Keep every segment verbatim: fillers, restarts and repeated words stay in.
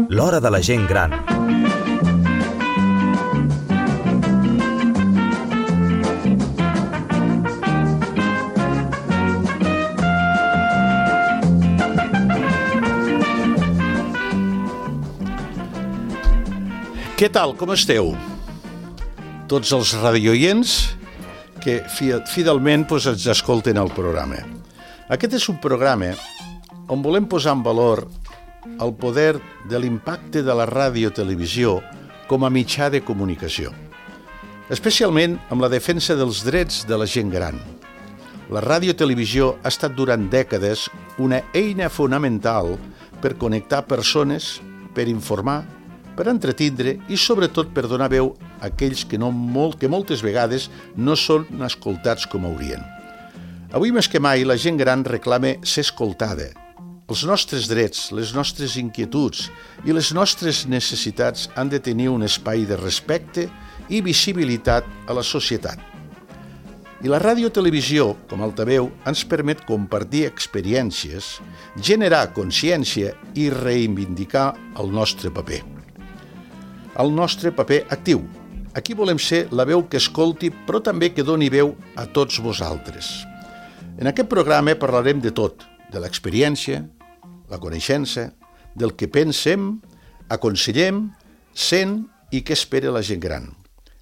L'hora de la gent gran. Què tal, com esteu? Tots els radioients que fidelment doncs, ens escolten el programa. Aquest és un programa on volem posar en valor el poder de l'impacte de la ràdio-televisió com a mitjà de comunicació, especialment amb la defensa dels drets de la gent gran. La ràdio-televisió ha estat durant dècades una eina fonamental per connectar persones, per informar, per entretindre i sobretot per donar veu a aquells que, no molt, que moltes vegades no són escoltats com haurien. Avui més que mai la gent gran reclama ser escoltada. Els nostres drets, les nostres inquietuds i les nostres necessitats han de tenir un espai de respecte i visibilitat a la societat. I la ràdio-televisió, com altaveu, ens permet compartir experiències, generar consciència i reivindicar el nostre paper. El nostre paper actiu. Aquí volem ser la veu que escolti, però també que doni veu a tots vosaltres. En aquest programa parlarem de tot, de l'experiència, la coneixença, del que pensem, aconsellem, sent i què espera la gent gran.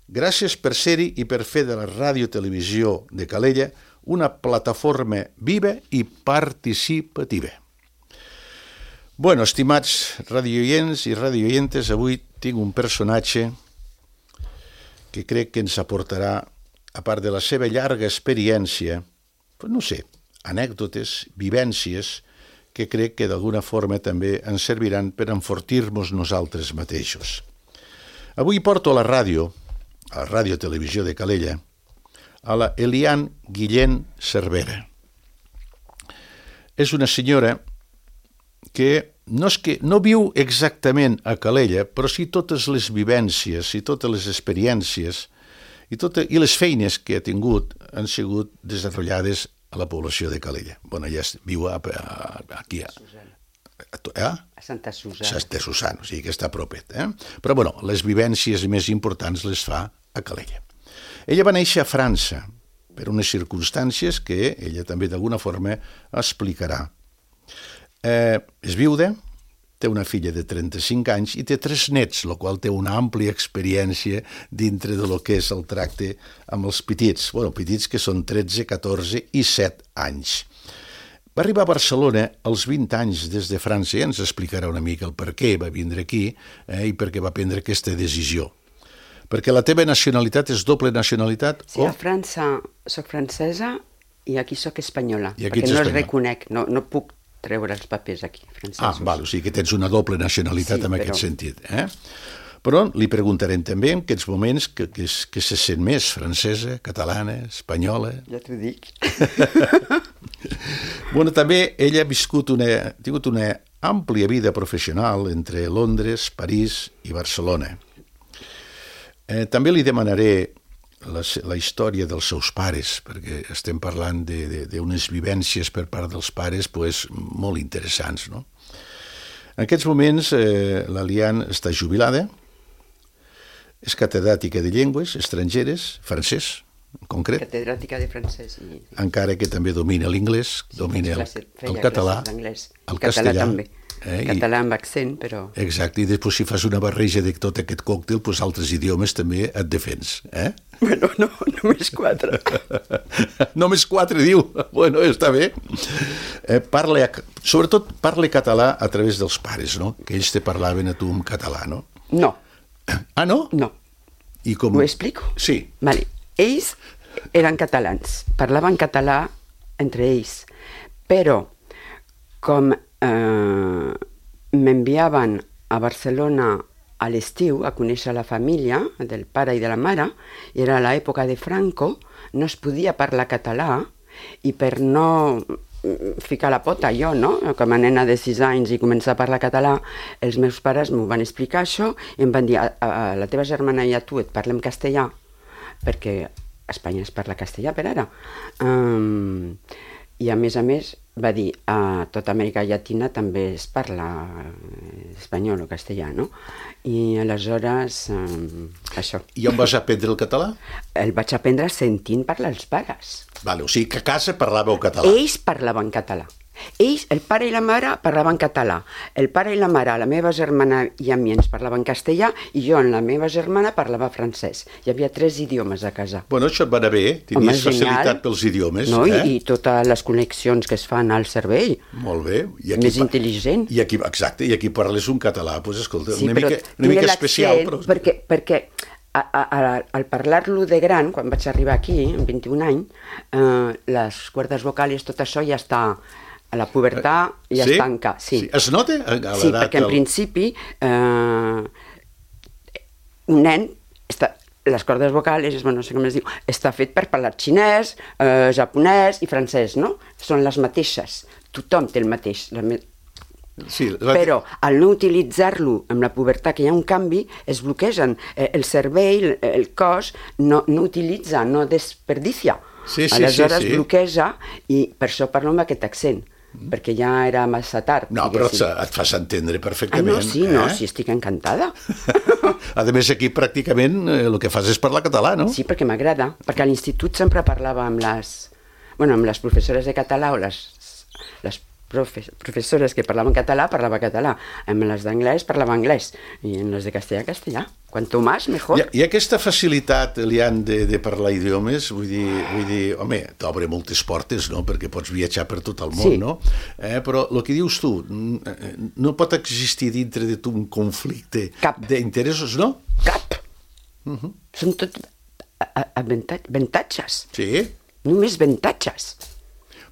Gràcies per ser-hi i per fer de la ràdio-televisió de Calella una plataforma viva i participativa. Bueno, estimats radioients i radioientes, avui tinc un personatge que crec que ens aportarà, a part de la seva llarga experiència, pues no sé, anècdotes, vivències, que crec que d'alguna forma també ens serviran per enfortir-nos nosaltres mateixos. Avui porto a la ràdio, a la ràdio-televisió de Calella, a la Eliane Guillén Cervera. És una senyora que no, és que no viu exactament a Calella, però sí totes les vivències i totes les experiències i, tot, i les feines que ha tingut han sigut desenvolupades a la població de Calella. Bueno, ella viu a, a, aquí a, a, a Santa Susana. Santa Susana, o sigui que està propet. Eh? Però bueno, les vivències més importants les fa a Calella. Ella va néixer a França per unes circumstàncies que ella també d'alguna forma explicarà. Eh, és viuda, té una filla de trenta-cinc anys i té tres nets, el qual té una àmplia experiència dintre de lo que és el tracte amb els petits. Bueno, petits que són tretze, catorze i set anys. Va arribar a Barcelona als vint anys des de França i ens explicarà una mica el per què va vindre aquí eh, i per què va prendre aquesta decisió. Perquè la teva nacionalitat és doble nacionalitat? Sí, o... a França soc francesa i aquí soc espanyola, I aquí perquè no espanyol. es reconec, no, no puc treure els papers aquí, francesos. Ah, val, o sigui que tens una doble nacionalitat sí, en però... aquest sentit. Eh? Però li preguntarem també en aquests moments que, que, que se sent més francesa, catalana, espanyola... Ja t'ho dic. Bueno, també ella ha viscut una, ha tingut una àmplia vida professional entre Londres, París i Barcelona. Eh, també li demanaré la, la història dels seus pares, perquè estem parlant d'unes vivències per part dels pares pues, molt interessants. No? En aquests moments eh, l'Eliane està jubilada, és catedràtica de llengües estrangeres, francès en concret, catedràtica de francès. I... encara que també domina l'inglès, sí, domina el, el català, el castellà. També. Eh, català amb accent, però... Exacte, i després si fas una barreja de tot aquest còctel, doncs altres idiomes també et defens, eh? Bueno, no, només quatre. Només quatre, diu. Bueno, està bé. Eh, parla, sobretot parla català a través dels pares, no? Que ells te parlaven a tu en català, no? No. Ah, no? No. I com... Ho explico? Sí. Vale. Ells eren catalans, parlaven català entre ells, però com eh, m'enviaven a Barcelona a l'estiu a conèixer la família del pare i de la mare, i era l'època de Franco, no es podia parlar català, i per no ficar la pota jo, no? Com a nena de sis anys i començar a parlar català, els meus pares m'ho van explicar això i em van dir, a, a la teva germana i a tu et parlem castellà, perquè a Espanya es parla castellà per ara. Um, I a més a més va dir, a tota Amèrica Llatina també es parla espanyol o castellà, no? I aleshores, eh, això. I on vas aprendre el català? El vaig aprendre sentint parlar els pares. Vale, o sigui que a casa parlàveu català. Ells parlaven català. Ells, el pare i la mare, parlaven català. El pare i la mare, la meva germana i a mi ens parlaven castellà i jo amb la meva germana parlava francès. Hi havia tres idiomes a casa. Bueno, això et va anar bé, tenies Home, facilitat genial. pels idiomes. No? Eh? I, I totes les connexions que es fan al cervell. Molt bé. I aquí Més pa- intel·ligent. I aquí, exacte, i aquí parles un català, doncs escolta, Sí, una però mica, una tinc mica l'accent, especial. Però... Perquè, perquè a, a, a, al parlar-lo de gran, quan vaig arribar aquí, amb vint-i-un anys, eh, les cuerdes vocals, tot això ja està... A la pubertat ja sí? es tanca. Sí. Sí. Es nota? A l'edat Sí, perquè en del- principi eh, un nen està, les cordes vocals, bueno, no sé com es diu, està fet per parlar xinès, eh, japonès i francès, no? Són les mateixes. Tothom té el mateix. La me... Sí, va- Però al no utilitzar-lo amb la pubertat, que hi ha un canvi, es bloquegen. Eh, el cervell, el, el cos, no, no utilitza, no desperdicia. Sí, sí, Aleshores sí, sí. bloqueja i per això parlo amb aquest accent, perquè ja era massa tard. No, però diguéssim. et fas entendre Ah, perfectament. no, sí, no, eh? sí, estic encantada. A més, aquí pràcticament eh, el que fas és parlar català, no? Sí, perquè m'agrada, perquè a l'institut sempre parlava amb les, bueno, amb les professores de català o les, les profe, professores que parlaven català, parlava català. Amb les d'anglès parlava anglès i en les de castellà, castellà. Quanto más, mejor. I, I aquesta facilitat, Elian, de, de parlar idiomes, vull dir, vull dir home, t'obre moltes portes, no?, perquè pots viatjar per tot el món, Sí. no? Eh, però el que dius tu, n- no pot existir dintre de tu un conflicte Cap. d'interessos, no? Cap. Uh-huh. Són tot a- a- avantat- avantatges. Sí. Només avantatges.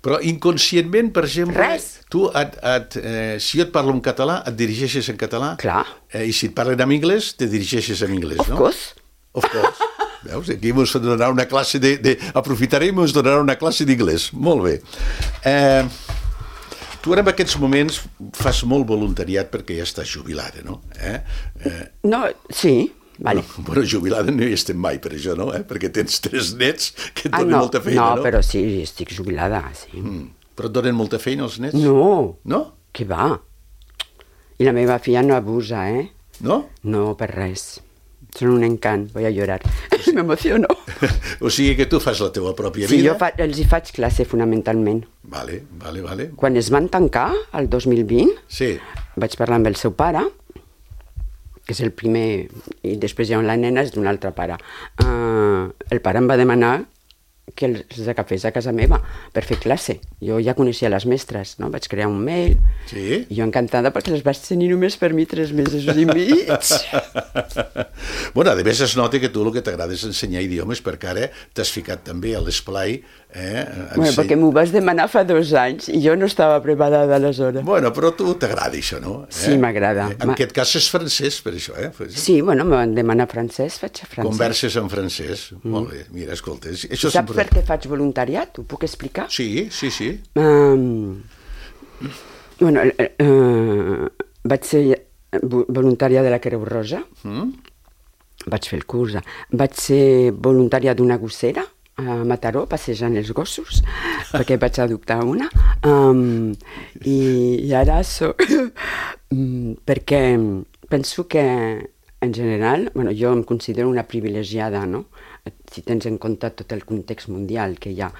Però inconscientment, per exemple, Res. tu, et, et, eh, si jo et parlo en català, et dirigeixes en català. Clar. Eh, I si et parlen en anglès, te dirigeixes en anglès, Of no? course. Of course. Veus? Aquí ens donarà una classe de... de aprofitarem i ens donarà una classe d'inglès. Molt bé. Eh, tu ara en aquests moments fas molt voluntariat perquè ja estàs jubilada, no? Eh? Eh, No, sí, vale. bueno, bueno, jubilada no hi estem mai per això, no? Eh? Perquè tens tres nets que et Ah, donen no, molta feina, no? no, però sí, estic jubilada, sí. Mm. Però et donen molta feina els nets? No, No? què va? I la meva filla no abusa, eh? No? No, per res. Són un encant, voy a llorar. M'emociono. O sigui que tu fas la teva pròpia Sí, vida? jo fa, els hi faig classe fonamentalment. Vale, vale, vale. Quan es van tancar, el dos mil vint, Sí. vaig parlar amb el seu pare, que és el primer, i després hi ha la nena, és d'un altre pare. Uh, el pare em va demanar que els agafés a casa meva per fer classe. Jo ja coneixia les mestres, no? Vaig crear un mail, Sí? i jo encantada perquè les vaig tenir només per mi tres mesos i mig. Bueno, a més es nota que tu el que t'agrada és ensenyar idiomes, perquè ara t'has ficat també a l'esplai. Eh? Bueno, Enseny- perquè m'ho vas demanar fa dos anys i jo no estava preparada aleshores. Bueno, però a tu t'agrada això, no? Eh? Sí, m'agrada. En Ma- aquest cas és francès, per això, eh? Sí, bueno, em van demanar francès, faig francès. Converses en francès. Mm. Molt bé, mira, escolta, això és Saps per important. què faig voluntariat? Ho puc explicar? Sí, sí, sí. Um, bueno, eh, eh, vaig ser vo- voluntària de la Creu Roja, Mm? vaig fer el curs, vaig ser voluntària d'una gossera a Mataró, passejant els gossos, perquè vaig adoptar una, um, i, i ara soc... mm, perquè penso que, en general, bueno, jo em considero una privilegiada, no? Si tens en compte tot el context mundial que hi ha.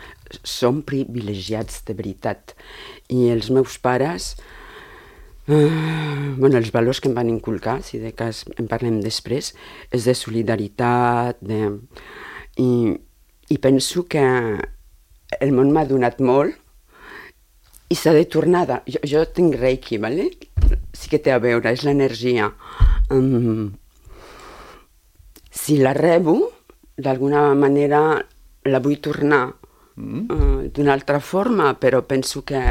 Som privilegiats de veritat. I els meus pares, eh, bueno, els valors que em van inculcar, si de cas en parlem després, és de solidaritat, de... I, i penso que el món m'ha donat molt i s'ha de tornar. De... Jo, jo tinc Reiki, ¿vale? Sí que té a veure, és l'energia. Um, si la rebo, d'alguna manera la vull tornar mm. uh, d'una altra forma, però penso que...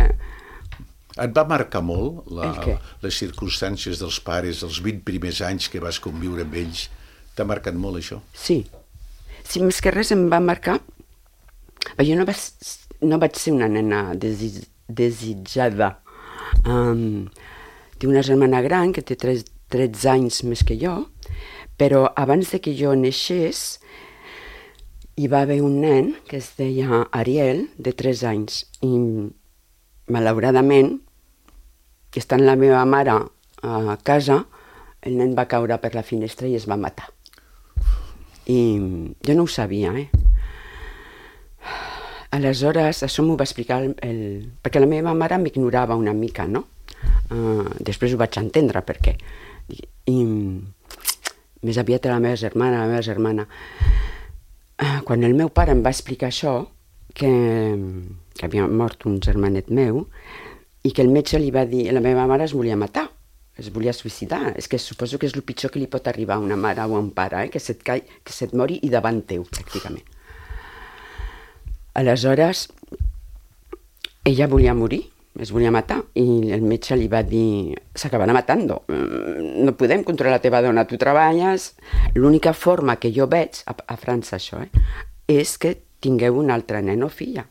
Et va marcar molt la, El què? les circumstàncies dels pares, els vint primers anys que vas conviure amb ells? T'ha marcat molt això? Sí. Sí, més que res em va marcar... Jo no vaig, no vaig ser una nena desi, desitjada. Um, tinc una germana gran que té tretze anys més que jo, però abans de que jo neixés, hi va haver un nen que es deia Ariel, de tres anys, i malauradament, estant la meva mare a casa, el nen va caure per la finestra i es va matar. I jo no ho sabia, eh? Aleshores, això m'ho va explicar el, el... perquè la meva mare m'ignorava una mica, no? Uh, després ho vaig entendre, perquè... I, i més aviat era la meva germana, la meva germana. Uh, quan el meu pare em va explicar això, que, que havia mort un germanet meu, i que el metge li va dir, la meva mare es volia matar, es volia suïcidar. És que suposo que és el pitjor que li pot arribar a una mare o a un pare, eh? que, se't cai, que se't mori i davant teu, pràcticament. Aleshores, ella volia morir, es volia matar, i el metge li va dir, s'acabarà matando, no podem controlar la teva dona, tu treballes, l'única forma que jo veig, a, a França això, eh, és que tingueu un altre nen o filla,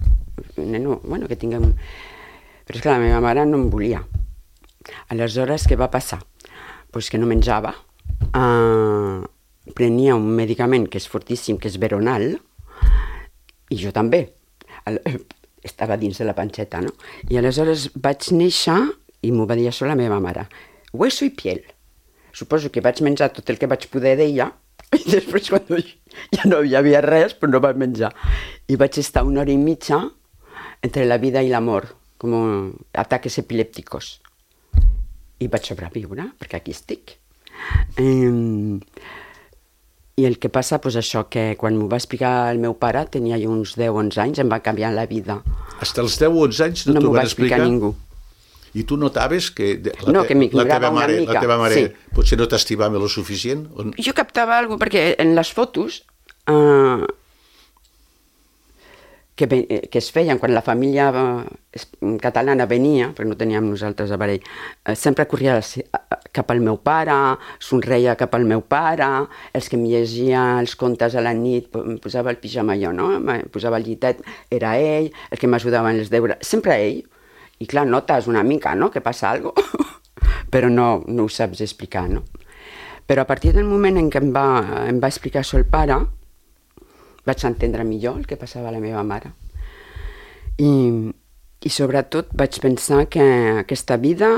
nen o, bueno, que tingueu un... Però és que la meva mare no em volia. Aleshores, què va passar? Pues que no menjava, uh, prenia un medicament que és fortíssim, que és Veronal, i jo també. Estava dins de la panxeta, no? I aleshores vaig néixer, i m'ho va dir això la meva mare, hueso i piel. Suposo que vaig menjar tot el que vaig poder d'ella, i després quan ja no hi havia res, però no vaig menjar. I vaig estar una hora i mitja entre la vida i la mort, com ataques epilèpticos. I vaig sobreviure, perquè aquí estic. Um, I el que passa, doncs això, que quan m'ho va explicar el meu pare, tenia jo uns deu o onze anys, em va canviar la vida. Hasta els deu o onze anys no, no t'ho van explicar? No m'ho va explicar ningú. I tu notaves que la, no, te, que la teva mare, una mica. La teva mare sí. potser no t'estimava lo suficient? O... Jo captava alguna cosa, perquè en les fotos uh, que, que es feien quan la família catalana venia, perquè no teníem nosaltres aparell, uh, sempre corria cap al meu pare, somreia cap al meu pare, els que em llegia els contes a la nit, em posava el pijama jo, no? Em posava el llitet, era ell, el que m'ajudava en els deures, sempre ell. I clar, notes una mica, no?, que passa alguna cosa, però no, no ho saps explicar, no? Però a partir del moment en què em va, em va explicar això el pare, vaig entendre millor el que passava a la meva mare. I, i sobretot vaig pensar que aquesta vida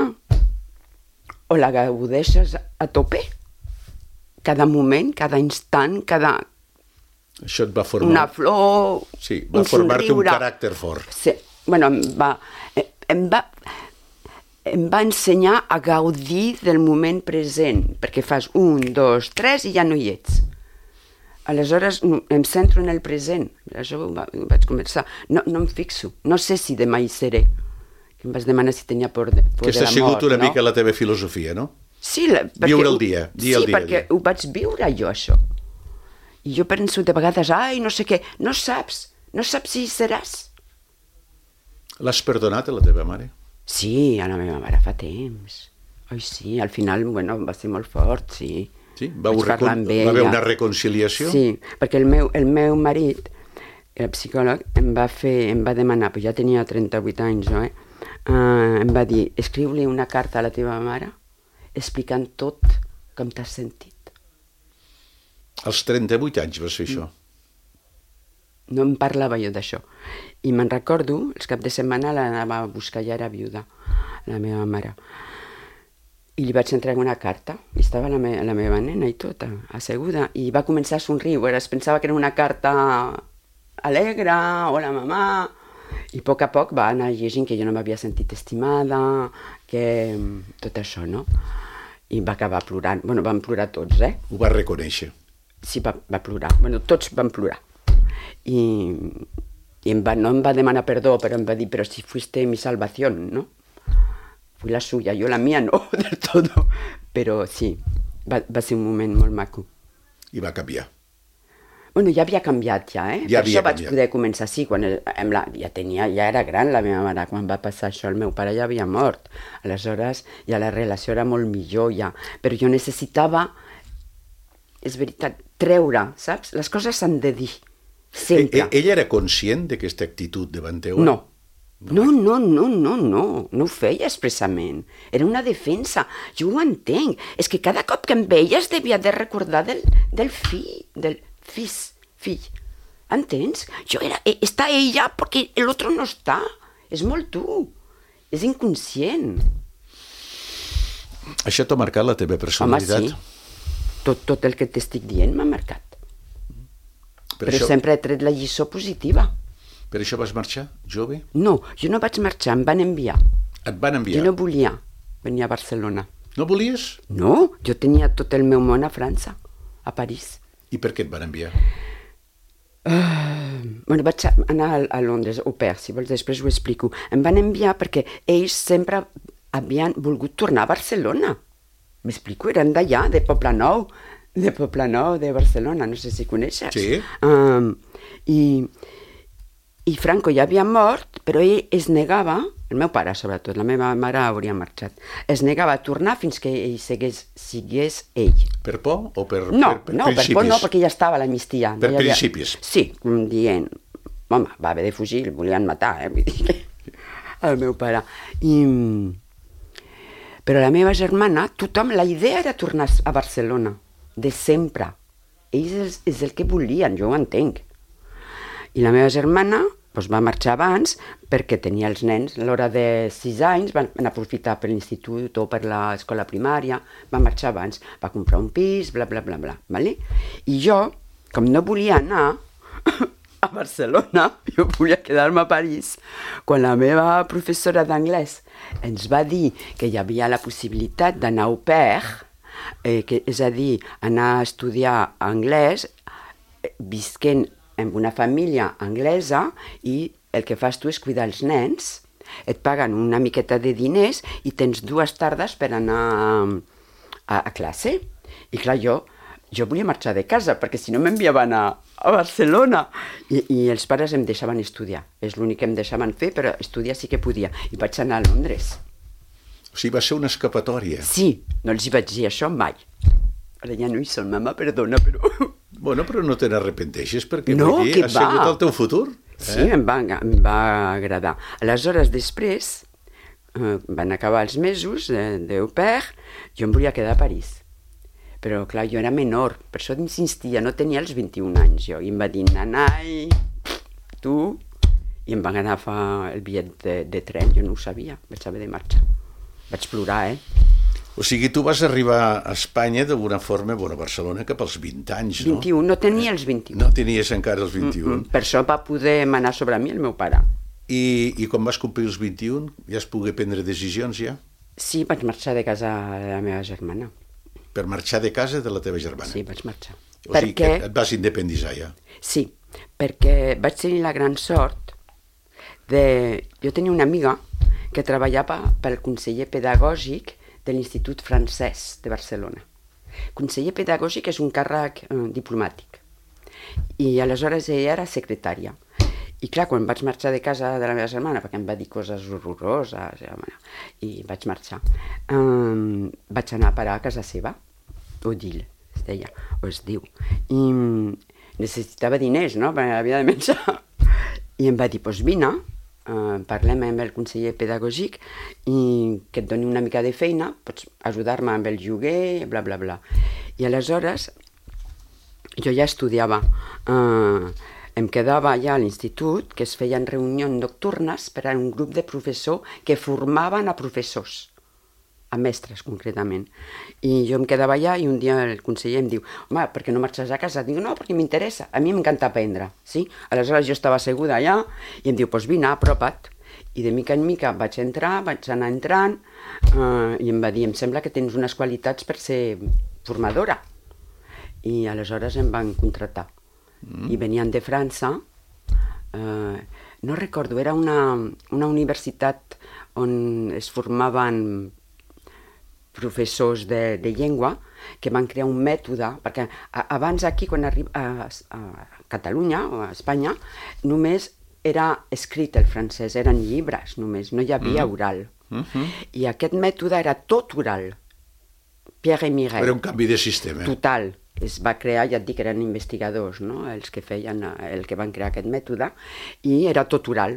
o la gaudeixes a tope, cada moment, cada instant, cada... Això et va formar... Una flor, sí, va un formar-te un somriure. caràcter fort. Sí, bueno, em va, em va, em va ensenyar a gaudir del moment present, perquè fas un, dos, tres i ja no hi ets. Aleshores em centro en el present, això ho vaig començar. No, no em fixo, no sé si demà hi seré. Em vas demanar si tenia por de, por de la mort, no? Aquesta ha sigut una no? mica la teva filosofia, no? Sí, la, perquè, viure el dia, dia sí, el dia. perquè dia. Ho vaig viure jo, això. I jo penso de vegades, ai, no sé què, no saps, no saps si hi seràs. L'has perdonat a la teva mare? Sí, a la meva mare fa temps. Ai, sí, al final, bueno, va ser molt fort, sí. Sí? Va, recon... va haver una reconciliació? Sí, perquè el meu, el meu marit, el psicòleg, em va fer, em va demanar, però ja tenia trenta-vuit anys, no, eh? Uh, em va dir, escriu-li una carta a la teva mare explicant tot com t'has sentit. Als trenta-vuit anys vas fer això? No em parlava jo d'això. I me'n recordo, els caps de setmana l'anava a buscar, ja era viuda, la meva mare. I li vaig entregar una carta, i estava la, me la meva nena i tota, asseguda, i va començar a somriure, es pensava que era una carta alegre, hola mamà, i a poc a poc va anar llegint que jo no m'havia sentit estimada, que tot això, no? I va acabar plorant, bueno, van plorar tots, eh? Ho va reconèixer. Sí, va, va plorar, bueno, tots van plorar. I, i em va, no em va demanar perdó, però em va dir, però si fuiste mi salvación, ¿no? Fui la suya, yo la mía no, del todo. Però sí, va, va ser un moment molt maco. I va canviar. Bueno, ja havia canviat, ja, eh? Ja per això vaig canviat. poder començar, sí, quan el, la, ja tenia, ja era gran la meva mare, quan va passar això, el meu pare ja havia mort. Aleshores, ja la relació era molt millor, ja. Però jo necessitava, és veritat, treure, saps? Les coses s'han de dir, sempre. E, ella era conscient d'aquesta actitud davant teu? No. No, no, no, no, no, no ho feia expressament. Era una defensa, jo ho entenc. És que cada cop que em veia es devia de recordar del, del fill, del fis, fill. Entens? Jo era, està ella perquè l'altre no està. És molt dur. És inconscient. Això t'ha marcat la teva personalitat? Home, sí. Tot, tot el que t'estic dient m'ha marcat. Per Però això, sempre he tret la lliçó positiva. per això vas marxar, jove? No, jo no vaig marxar, em van enviar. Et van enviar? Jo no volia venir a Barcelona. No volies? No, jo tenia tot el meu món a França, a París. I per què et van enviar? Uh, bueno, vaig anar a, a Londres, au pair, si vols, després ho explico. Em van enviar perquè ells sempre havien volgut tornar a Barcelona. M'explico, eren d'allà, de Poblenou, de Poblenou, de Barcelona, no sé si coneixes. Sí. Um, i, I Franco ja havia mort, però ell es negava, el meu pare sobretot, la meva mare hauria marxat, es negava a tornar fins que ell segués, sigués ell. Per por o per, No, per, per no, per principis? por no, perquè ja estava a l'amnistia. Per no hi havia... principis? Sí, dient, home, va haver de fugir, el volien matar, eh? Vull dir que... el meu pare. I... Però la meva germana, tothom, la idea era tornar a Barcelona, de sempre. Ells és, és el que volien, jo ho entenc. I la meva germana doncs, va marxar abans perquè tenia els nens, a l'hora de sis anys, van aprofitar per l'institut o per l'escola primària, va marxar abans, va comprar un pis, bla, bla, bla, bla. Vale? I jo, com no volia anar a Barcelona, jo volia quedar-me a París, quan la meva professora d'anglès ens va dir que hi havia la possibilitat d'anar au pair, eh, que, és a dir, anar a estudiar anglès, eh, visquent en una família anglesa i el que fas tu és cuidar els nens, et paguen una miqueta de diners i tens dues tardes per anar a, a classe. I clar, jo, jo volia marxar de casa perquè si no m'enviaven a, a Barcelona. I, I els pares em deixaven estudiar. És l'únic que em deixaven fer, però estudiar sí que podia. I vaig anar a Londres. O sigui, va ser una escapatòria. Sí, no els hi vaig dir això mai. Ara ja no hi són, mama, perdona, però... Bueno, però no te n'arrepenteixes perquè No, vull dir, que has va. sigut el teu futur. Eh? Sí, em va, em va agradar. Aleshores, després, eh, van acabar els mesos d'au pair, jo em volia quedar a París. Però, clar, jo era menor, per això insistia, no tenia els vint-i-un anys jo. I em va dir, nanai, tu... I em van agafar el bitllet de, de tren, jo no ho sabia, vaig haver de marxar. Vaig plorar, eh? O sigui, tu vas arribar a Espanya d'alguna forma, bueno, a Barcelona, cap als vint anys, no? vint-i-un, no tenia els vint-i-un. No tenies encara els vint-i-un. Mm-mm. Per això va poder manar sobre mi el meu pare. I, I quan vas complir els vint-i-un, ja es pogué prendre decisions, ja? Sí, vaig marxar de casa de la meva germana. Per marxar de casa de la teva germana? Sí, vaig marxar. O sigui perquè... que et vas independitzar, ja? Sí, perquè vaig tenir la gran sort de... Jo tenia una amiga que treballava pel conseller pedagògic de l'Institut Francès de Barcelona. Conseller pedagògic és un càrrec eh, diplomàtic. I aleshores ella era secretària. I clar, quan vaig marxar de casa de la meva germana, perquè em va dir coses horroroses, i vaig marxar, eh, vaig anar a parar a casa seva, Odile, es deia, o es diu. I necessitava diners, no?, perquè havia de menjar. I em va dir, doncs vine, Uh, parlem amb el conseller pedagògic i que et doni una mica de feina, pots ajudar-me amb el lloguer, bla, bla, bla. I aleshores jo ja estudiava, uh, em quedava allà a l'institut, que es feien reunions nocturnes per a un grup de professors que formaven a professors, a mestres concretament. I jo em quedava allà i un dia el conseller em diu, home, per què no marxes a casa? Dic, no, perquè m'interessa, a mi m'encanta aprendre, sí? Aleshores jo estava asseguda allà i em diu, doncs vine, apropa't. I de mica en mica vaig entrar, vaig anar entrant eh, i em va dir, em sembla que tens unes qualitats per ser formadora. I aleshores em van contractar. Mm. I venien de França, eh, no recordo, era una, una universitat on es formaven professors de, de llengua que van crear un mètode, perquè a, abans aquí, quan arriba a, a Catalunya o a Espanya, només era escrit el francès, eren llibres només, no hi havia mm. oral. Mm-hmm. I aquest mètode era tot oral. Pierre et Mireille. Era un canvi de sistema. Total. Es va crear, ja et dic, eren investigadors, no?, els que feien, el que van crear aquest mètode, i era tot oral.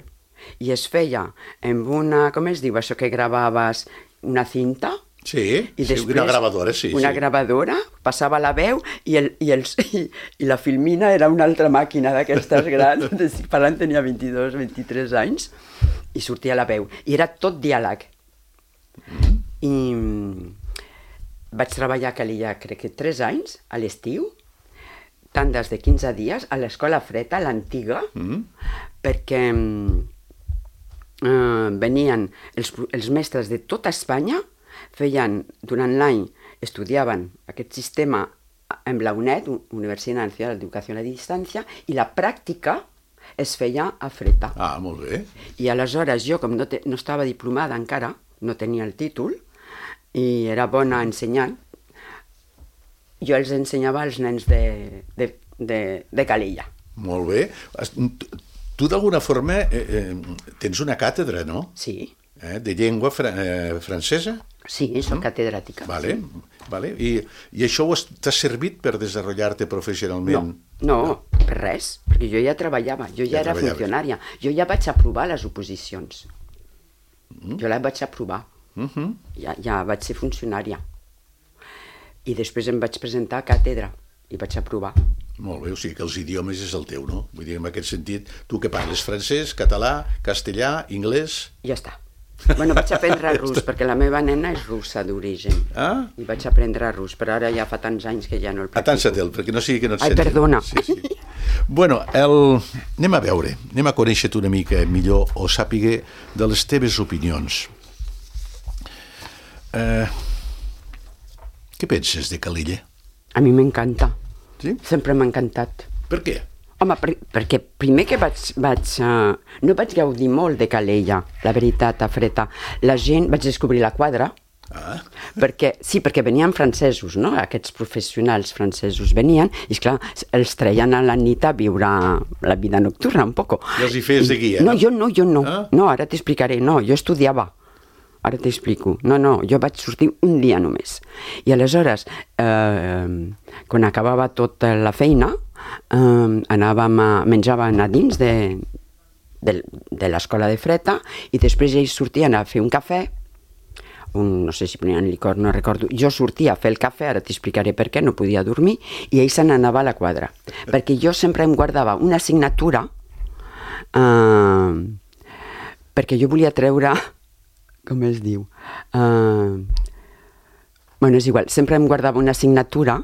I es feia amb una, com es diu això que gravaves, una cinta, Sí, I sí una gravadora, sí. Una sí. gravadora, passava la veu i, el, i, els, i, i la filmina era una altra màquina d'aquestes grans, parlant tenia vint-i-dos, vint-i-tres anys, i sortia la veu. I era tot diàleg. Mm. I vaig treballar a Calella, crec que tres anys, a l'estiu, tandes de quinze dies, a l'escola Freta, l'antiga, mm. perquè eh, venien els, els mestres de tota Espanya, feien, durant l'any, estudiaven aquest sistema en la UNED, Universitat Nacional d'Educació a Distància, i la pràctica es feia a Freta. Ah, molt bé. I aleshores jo, com no, te, no estava diplomada encara, no tenia el títol, i era bona ensenyant, jo els ensenyava als nens de, de, de, de Calella. Molt bé. Tu, d'alguna forma, eh, eh, tens una càtedra, no? Sí. Eh, de llengua fra eh, francesa? Sí, soc mm? catedràtica. Vale, sí. Vale. I, I això t'ha servit per desenvolupar-te professionalment? No, no, no, per res, perquè jo ja treballava, jo ja, ja era funcionària, jo ja vaig aprovar les oposicions. Mm. Jo les vaig aprovar, mm-hmm. ja, ja vaig ser funcionària. I després em vaig presentar a càtedra i vaig aprovar. Molt bé, o sigui que els idiomes és el teu, no? Vull dir, en aquest sentit, tu que parles francès, català, castellà, anglès... Ja està. Bueno, vaig aprendre rus, perquè la meva nena és russa d'origen. Ah? I vaig aprendre rus, però ara ja fa tants anys que ja no el practico. Atansa-te'l, perquè no sigui que no et Ai, sentin. perdona. Sí, sí. Bueno, el... anem a veure, anem a conèixer-te una mica millor o sàpiga de les teves opinions. Eh... Què penses de Calella? A mi m'encanta. Sí? Sempre m'ha encantat. Per què? Home, per, perquè primer que vaig... vaig uh, no vaig gaudir molt de Calella, la veritat, a Freta. La gent... Vaig descobrir la quadra, ah. perquè, sí, perquè venien francesos, no? Aquests professionals francesos venien, i esclar, els treien a la nit a viure la vida nocturna, un poco. I els hi fes de guia, no? No, jo no, jo no. Ah? No, ara t'explicaré, no, jo estudiava. Ara t'explico. No, no, jo vaig sortir un dia només. I aleshores, eh, quan acabava tota la feina, eh, anàvem a, menjàvem a dins de, de, de l'escola de Freta i després ells sortien a fer un cafè, un, no sé si ponien licor, no recordo. Jo sortia a fer el cafè, ara t'explicaré per què, no podia dormir, i ell se n'anava a la quadra. Perquè jo sempre em guardava una assignatura eh, perquè jo volia treure... com es diu? Uh, bueno, és igual, sempre em guardava una assignatura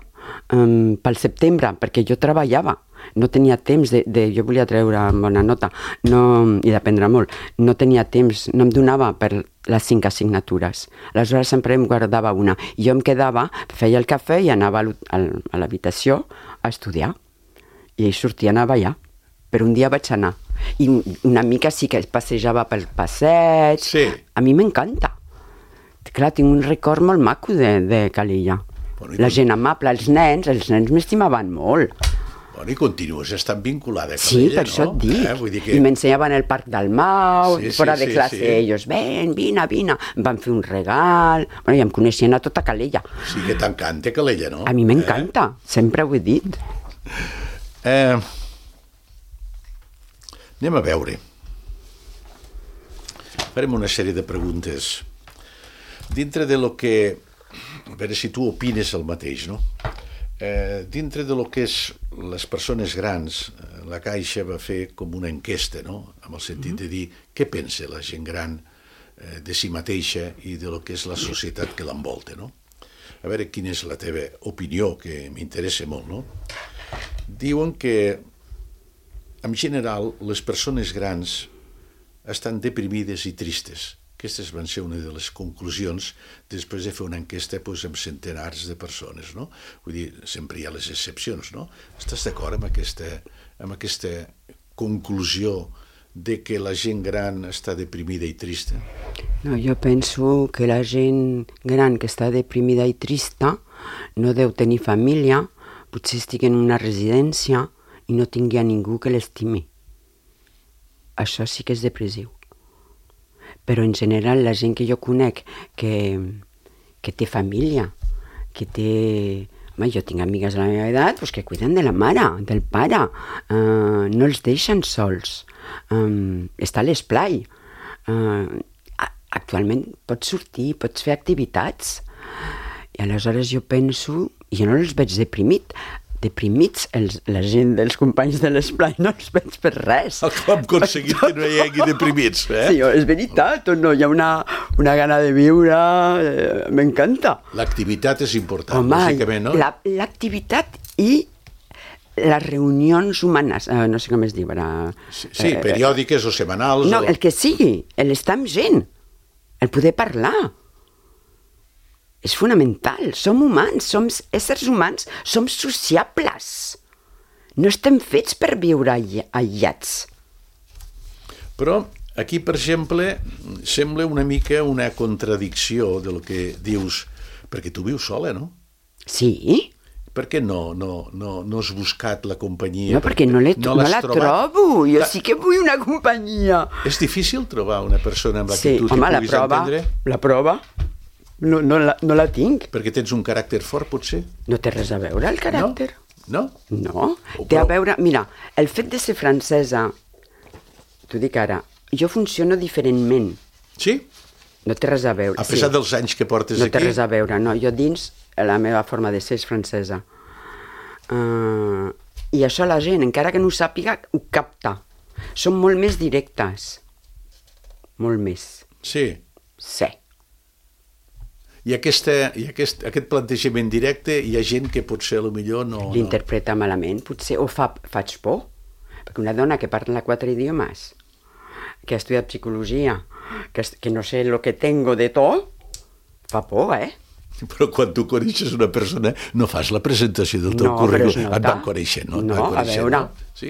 um, pel setembre, perquè jo treballava, no tenia temps de, de jo volia treure bona nota, no, i d'aprendre molt, no tenia temps, no em donava per les cinc assignatures, aleshores sempre em guardava una, i jo em quedava, feia el cafè i anava a l'habitació a estudiar, i ells sortien a ballar, però un dia vaig anar, i una mica sí que passejava pel passeig. Sí. A mi m'encanta. Clar, tinc un record molt maco de, de Calella. Bueno, la gent amable, els nens, els nens m'estimaven molt. Bueno, i continues estant vinculada a Calella, sí, per no? això et dic. Eh? Vull dir que... I m'ensenyaven el Parc del Mau, sí, fora sí, de sí, classe, sí. ells, ven, vine, vine. Em van fer un regal. Bueno, ja em coneixien a tota Calella. Sí que t'encanta Calella, no? A mi m'encanta, eh? Sempre ho he dit. Eh... Anem a veure. Farem una sèrie de preguntes. Dintre de lo que... A veure si tu opines el mateix, no? Eh, dintre de lo que és les persones grans, la Caixa va fer com una enquesta, no? Amb el sentit de dir què pensa la gent gran eh, de si mateixa i de lo que és la societat que l'envolta, no? A veure quina és la teva opinió, que m'interessa molt, no? Diuen que en general, les persones grans estan deprimides i tristes. Aquestes van ser una de les conclusions després de fer una enquesta doncs, amb centenars de persones, no? Vull dir, sempre hi ha les excepcions, no? Estàs d'acord amb aquesta, amb aquesta conclusió de que la gent gran està deprimida i trista? No, jo penso que la gent gran que està deprimida i trista no deu tenir família, potser estigui en una residència, i no tingui a ningú que l'estimi. Això sí que és depressiu. Però en general la gent que jo conec que, que té família, que té... Home, jo tinc amigues de la meva edat pues, que cuiden de la mare, del pare, uh, no els deixen sols, um, està a l'esplai. Uh, actualment pots sortir, pots fer activitats, I aleshores jo penso, i jo no els veig deprimit, deprimits, els, la gent dels companys de l'esplai no els veig per res. Com hem aconseguit que no hi hagi deprimits, eh? Sí, és veritat, o no? Hi ha una, una gana de viure, eh, m'encanta. L'activitat és important, Home, lògicament, no? La, l'activitat i les reunions humanes, eh, no sé com es diu ara. Sí, sí eh, periòdiques o setmanals. No, o... el que sigui, l'estar amb gent, el poder parlar. És fonamental, som humans, som éssers humans, som sociables. No estem fets per viure aïllats. Però aquí, per exemple, sembla una mica una contradicció del que dius, perquè tu vius sola, no? Sí. Per què no, no, no, no has buscat la companyia? No, perquè no, no, no la trobat? trobo, jo sí que vull una companyia. És difícil trobar una persona amb la sí, que tu home, t'hi puguis prova, entendre? la prova, no, no, la, no la tinc. Perquè tens un caràcter fort, potser? No té res a veure, el caràcter. No? No, no. Té a veure... Mira, el fet de ser francesa, t'ho dic ara, jo funciono diferentment. Sí? No té res a veure. A pesar sí. dels anys que portes no aquí? No té res a veure, no. Jo dins, la meva forma de ser és francesa. Uh, I això la gent, encara que no ho sàpiga, ho capta. Són molt més directes. Molt més. Sí? Sí. I, aquesta, i aquest, aquest plantejament directe hi ha gent que potser potser no... L'interpreta no. malament, potser, o fa, faig por. Perquè una dona que parla quatre idiomes, que ha estudiat psicologia, que, que no sé lo que tengo de tot, fa por, eh? Però quan tu coneixes una persona no fas la presentació del teu no, currículum. Et van conèixer, no? No, a veure... No? Sí?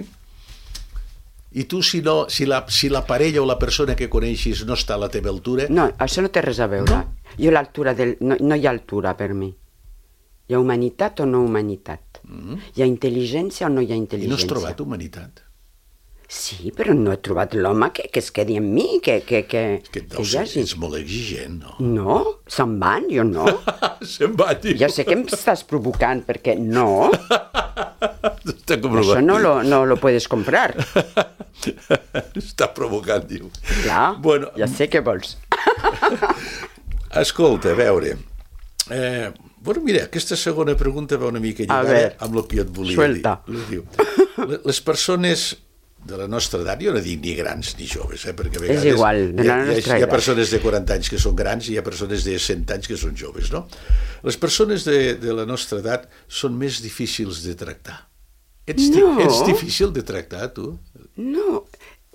I tu, si, no, si, la, si la parella o la persona que coneixis no està a la teva altura... No, això no té res a veure. No? Jo l'altura del... No, no hi ha altura per mi. Hi ha humanitat o no humanitat. Mm-hmm. Hi ha intel·ligència o no hi ha intel·ligència. I no has trobat humanitat? Sí, però no he trobat l'home que, que es quedi amb mi, que, que, que, que, que hi hagi. Ets molt exigent, no? No, se'n van, jo no. Se'n van, diu. Ja sé que em estàs provocant, perquè no. Està comprovat. Això no lo, no lo puedes comprar. Està provocant, diu. Clar, bueno, ja sé què vols. Escolta, a veure... Eh, bueno, mira, aquesta segona pregunta va una mica lligada amb el que jo et volia suelta. dir. Diu, les persones de la nostra edat, jo no dic ni grans ni joves, eh, perquè a vegades és igual, de la hi, ha, nostra hi, ha, hi ha persones de quaranta anys que són grans i hi ha persones de cent anys que són joves, no? Les persones de, de la nostra edat són més difícils de tractar. Ets, no. ets difícil de tractar, tu? No.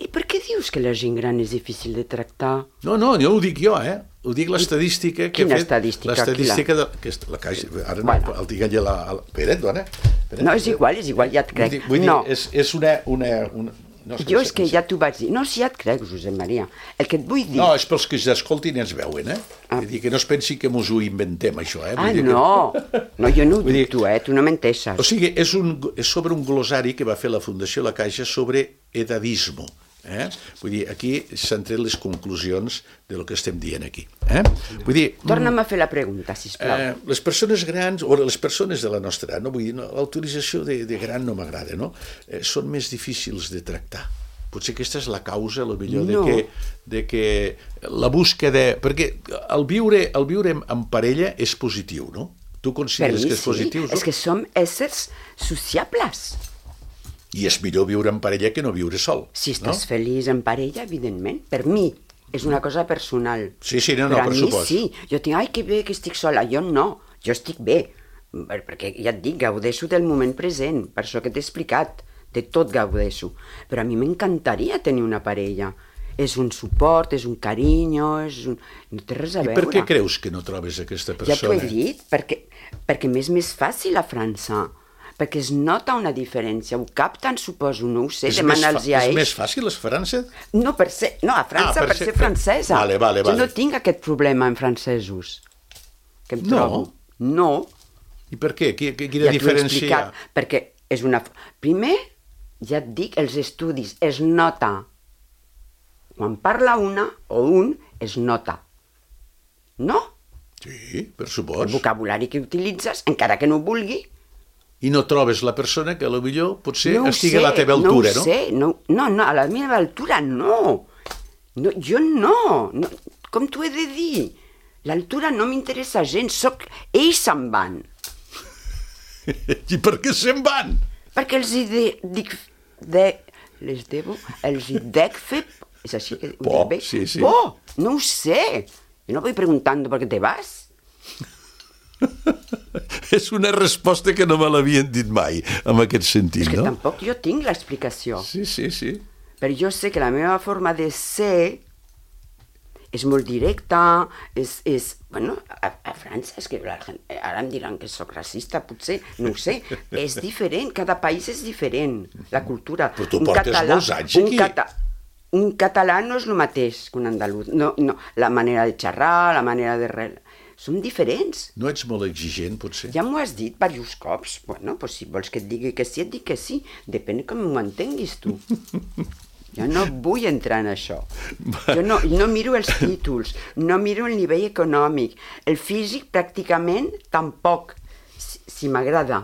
I per què dius que la gent gran és difícil de tractar? No, no, no ho dic jo, eh? Ho dic l'estadística que Quina ha fet... estadística? L'estadística de... Que és la caixa... Ara bueno. no, el tinc allà... La, la... Espera't, dona. Espera't, no, és igual, és igual, ja et crec. Vull dir, vull dir no. és, és una... una, una... No, és jo és que ja t'ho vaig dir. No, si ja et crec, Josep Maria. El que et vull dir... No, és pels que escoltin i ens veuen, eh? Ah. Vull dir que no es pensi que mos ho inventem, això, eh? Vull ah, dir no. Que... No, jo no ho dic, tu, eh? Tu no m'enteixes. O sigui, és, un, és sobre un glosari que va fer la Fundació La Caixa sobre edadismo. Eh? Vull dir, aquí s'han tret les conclusions del que estem dient aquí. Eh? Vull dir... Torna'm a fer la pregunta, sisplau. Eh, les persones grans, o les persones de la nostra edat, no? Vull dir, no, l'autorització de, de gran no m'agrada, no? Eh, són més difícils de tractar. Potser aquesta és la causa, a lo millor, no. de, que, de que la búsqueda... Perquè el viure, el viure en parella és positiu, no? Tu consideres que és sí. positiu? És que som éssers sociables. I és millor viure en parella que no viure sol. Si estàs no? feliç en parella, evidentment. Per mi, és una cosa personal. Sí, sí, no, no, per per mi supost. sí. Jo tinc, ai, que bé que estic sola. Jo no, jo estic bé. Perquè ja et dic, gaudeixo del moment present, per això que t'he explicat. De tot gaudeixo. Però a mi m'encantaria tenir una parella. És un suport, és un carinyo, és un... no té res a veure. I per què creus que no trobes aquesta persona? Ja t'ho he dit, perquè, perquè m'és més fàcil a França. Perquè es nota una diferència, ho capten, suposo, no ho sé, demana'ls a ells. És més fàcil a França? No, per ser, no a França, ah, per, per ser, ser francesa. Vale, vale, vale. Jo no tinc aquest problema en francesos, que em trobo. No? No. I per què? Quina ja diferència hi ha? Perquè és una... Primer, ja et dic, els estudis es nota. Quan parla una o un, es nota. No? Sí, per supost. El vocabulari que utilitzes, encara que no ho vulgui, i no trobes la persona que potser potser no estigui sé, a la teva altura, no? No ho sé, no, no, no, a la meva altura no. no jo no. no. Com t'ho he de dir? L'altura no m'interessa gens, soc... ells se'n van. I per què se'n van? Perquè els hi de, dic... De, les debo... Els hi dec fer... És així que ho Por, dic bé? sí, sí. Por, no ho sé. Jo no voy preguntando por qué te vas. És una resposta que no me l'havien dit mai, en aquest sentit, És que no? tampoc jo tinc l'explicació. Sí, sí, sí. Però jo sé que la meva forma de ser és molt directa, és... és bueno, a, a França, és que la gent, ara em diran que sóc racista, potser, no ho sé, és diferent, cada país és diferent, la cultura. Però tu Un portes català- molts anys un aquí. cata- un català no és el mateix que un andalús, no, no, la manera de xerrar, la manera de... Re... Són diferents. No ets molt exigent, potser? Ja m'ho has dit diversos cops. Bueno, pues si vols que et digui que sí, et dic que sí. Depèn com m'ho entenguis tu. Jo no vull entrar en això. Jo no, no miro els títols, no miro el nivell econòmic. El físic pràcticament tampoc, si, si m'agrada.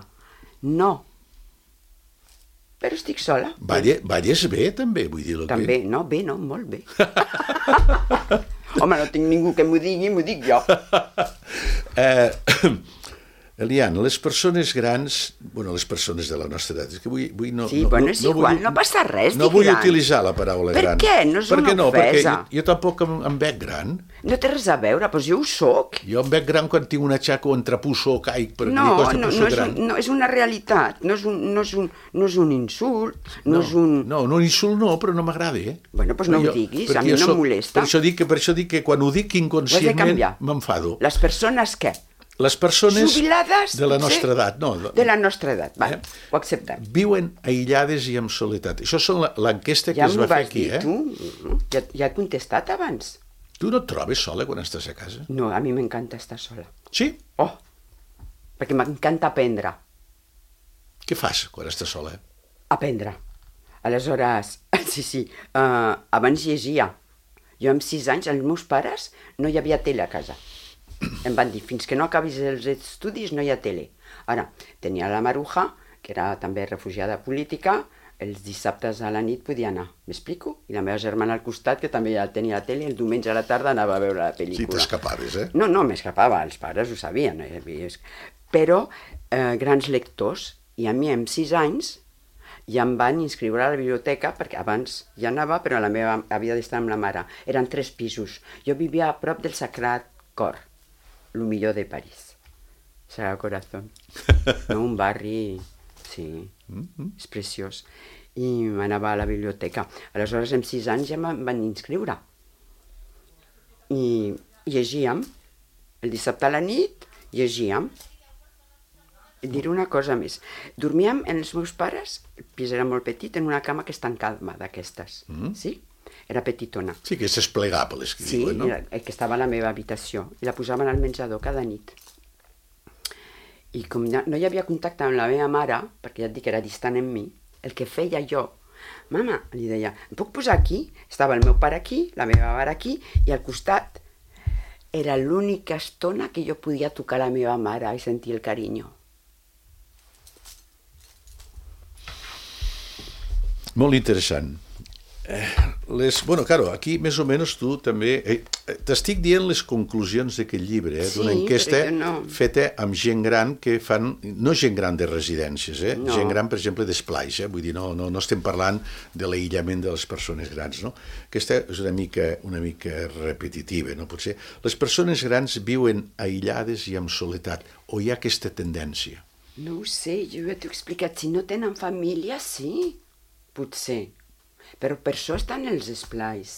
No. Però estic sola. Balle, balles bé, també, vull dir. També, no, bé, no, molt bé. Home, no tinc ningú que m'ho digui, m'ho dic jo. Eh, Eliana, les persones grans, bueno, les persones de la nostra edat, és que vull, vull no... Sí, no, bueno, no, és no igual, vull, no passa res, No dic vull gran. utilitzar la paraula Per gran. què? No és per una què no? Perquè ofesa. jo, jo tampoc em, em veig gran. No té res a veure, doncs jo ho soc. Jo em veig gran quan tinc una xaca o entrepusso o caic, per No, dir cosa no, pusso no, és gran. un, no, és una realitat, no és un, no és un, no és un insult, no, No, és un... no, no, un insult no, però no m'agrada, eh? Bueno, doncs no Però ho diguis, perquè a mi jo no em soc- molesta. Per això, dic que, per això dic que quan ho dic Ho has de inconscientment canviar. m'enfado. Les persones què? Les persones Jubilades? de la potser? nostra edat, no, de- De la nostra edat, va, Eh? ho acceptem. viuen aïllades i amb soledat. Això és la- l'enquesta que Ja es m'ho va fer vas aquí, dir eh? tu, ja, ja he contestat abans. Tu no et trobes sola quan estàs a casa? No, a mi m'encanta estar sola. Sí? Oh, perquè m'encanta aprendre. Què fas quan estàs sola? Aprendre. Aleshores, sí, sí, uh, abans llegia. Jo amb sis anys, els meus pares, no hi havia tele a casa. Em van dir, fins que no acabis els estudis no hi ha tele. Ara, tenia la Maruja, que era també refugiada política, els dissabtes a la nit podia anar, m'explico? I la meva germana al costat, que també ja tenia la tele, el diumenge a la tarda anava a veure la pel·lícula. Sí, t'escapaves, eh? No, no, m'escapava, els pares ho sabien. Eh? Però eh, grans lectors, i a mi amb sis anys ja em van inscriure a la biblioteca, perquè abans ja anava, però la meva havia d'estar amb la mare. Eren tres pisos. Jo vivia a prop del Sagrat Cor, el millor de París. Sagrado Corazón. No, un barri, sí, és preciós. I m'anava a la biblioteca. Aleshores, amb sis anys ja em van inscriure. I llegíem. El dissabte a la nit llegíem. I diré una cosa més. Dormíem amb els meus pares, el pis era molt petit, en una cama que és tancada d'aquestes. Mm. Sí? Era petitona. Sí, que és desplegable, que Sí, diuen, no? era, que estava a la meva habitació. I la posaven al menjador cada nit. I com no, no hi havia contacte amb la meva mare, perquè ja et dic que era distant en mi, el que feia jo, mama, li deia, em puc posar aquí? Estava el meu pare aquí, la meva mare aquí, i al costat era l'única estona que jo podia tocar la meva mare i sentir el carinyo. Molt interessant. Eh, les, bueno, claro, aquí més o menys tu també... Eh, T'estic dient les conclusions d'aquest llibre, eh, d'una Sí, enquesta però jo no. feta amb gent gran que fan... No gent gran de residències, eh? No. Gent gran, per exemple, d'esplais, eh? Vull dir, no, no, no estem parlant de l'aïllament de les persones grans, no? Aquesta és una mica, una mica repetitiva, no? Potser les persones grans viuen aïllades i amb soledat, o hi ha aquesta tendència? No ho sé, jo ja t'ho he explicat, si no tenen família, sí, potser. Però per això estan els esplais.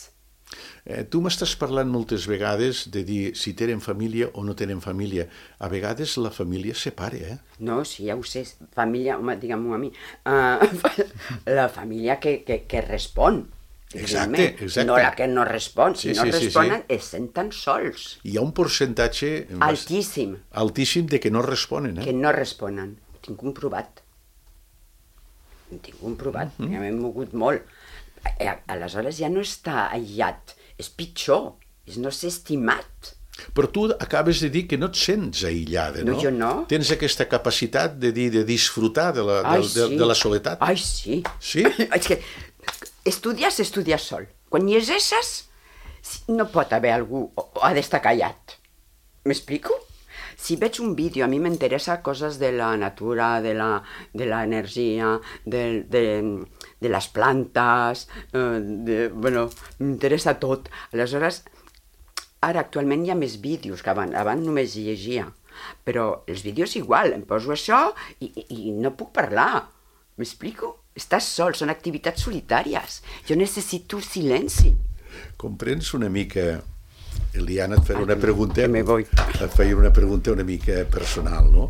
Eh, tu m'estàs parlant moltes vegades de dir si tenen família o no tenen família. A vegades la família es separa, eh? No, sí, ja ho sé, família, home, digue'm-ho a mi, uh, la família que, que, que respon. Exacte, exacte. No la que no respon, si Sí, no sí, sí, responen sí. es senten sols. Hi ha un percentatge Altíssim, altíssim de que no responen, eh? que no responen. Ho tinc comprovat. Ho tinc comprovat, mm -hmm. ja m'he mogut molt. Eh, Aleshores ja no està aïllat, és pitjor, és no ser estimat. Però tu acabes de dir que no et sents aïllada, no? No, jo no. Tens aquesta capacitat de dir, de disfrutar de la, Ai, de, de, sí. de la soledat. Ai, sí. Sí? És que estudies, estudies sol. Quan llegeixes, no pot haver algú, o ha d'estar callat. M'explico? Si veig un vídeo, a mi m'interessa coses de la natura, de la, de l'energia, de, de, de les plantes, eh, de, bueno, m'interessa tot. Aleshores, ara actualment hi ha més vídeos que abans, abans només llegia, però els vídeos igual, em poso això i, i, i no puc parlar. M'explico? Estàs sol, són activitats solitàries. Jo necessito silenci. Comprens una mica... Eliana, et faré una pregunta, et feia una pregunta una mica personal, no?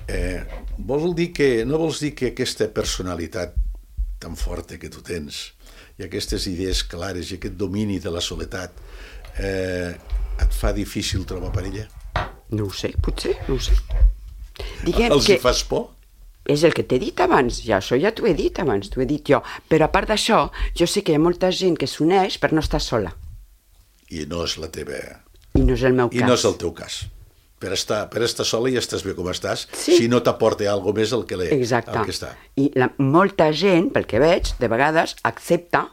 Eh, vol dir que, no vols dir que aquesta personalitat tan forta que tu tens i aquestes idees clares i aquest domini de la soledat eh, et fa difícil trobar parella? No ho sé, potser, no ho sé. Diguem Els que... hi fas por? És el que t'he dit abans, ja, això ja t'ho he dit abans, t'ho he dit jo. Però a part d'això, jo sé que hi ha molta gent que s'uneix per no estar sola. I no és la teva... I no és el meu cas. I no és el teu cas. Per estar, per estar sola ja estàs bé com estàs, sí. Si no t'aporta alguna més el que, l'he, Exacte. El que està. I la, molta gent, pel que veig, de vegades accepta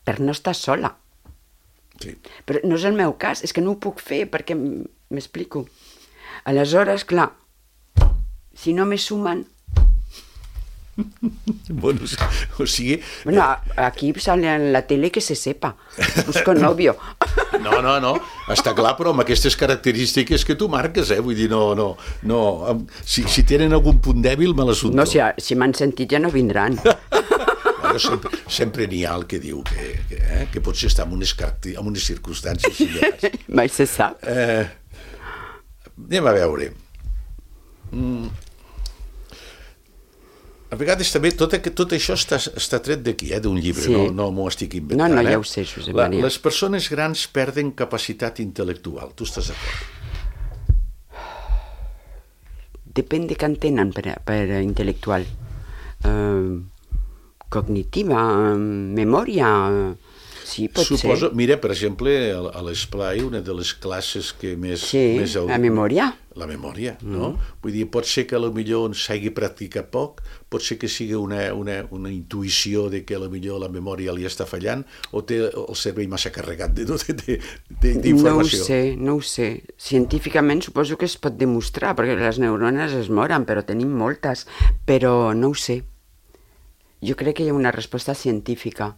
per no estar sola. Sí. Però no és el meu cas, és que no ho puc fer perquè m'explico. Aleshores, clar, si no me sumen... Bueno, o sigui... Bueno, aquí sale en la tele que se sepa. Busco novio. No, no, no, està clar, però amb aquestes característiques que tu marques, eh? Vull dir, no, no, no... Si, si tenen algun punt dèbil, me l'assumpto. No, si, si m'han sentit ja no vindran. Bueno, sempre, sempre n'hi ha el que diu que, que, eh? que potser està en unes, en unes circumstàncies similars. Mai se sap. Eh, anem a veure. Mm. A vegades també tot, tot això està, està tret d'aquí, eh, d'un llibre, sí. no, no m'ho estic inventant. No, no, ja eh? ho sé, Josep La, Maria. les persones grans perden capacitat intel·lectual. Tu estàs d'acord? Depèn de què entenen per, per intel·lectual. Uh, cognitiva, uh, memòria... Uh, sí, pot Suposo, ser. Mira, per exemple, a, a l'Esplai, una de les classes que més... Sí, més la memòria. La memòria, mm. no? Vull dir, pot ser que potser s'hagi practicat poc, pot ser que sigui una, una, una intuïció de que potser la memòria li està fallant o té el cervell massa carregat d'informació. No ho sé, no ho sé. Científicament suposo que es pot demostrar, perquè les neurones es moren, però tenim moltes. Però no ho sé. Jo crec que hi ha una resposta científica.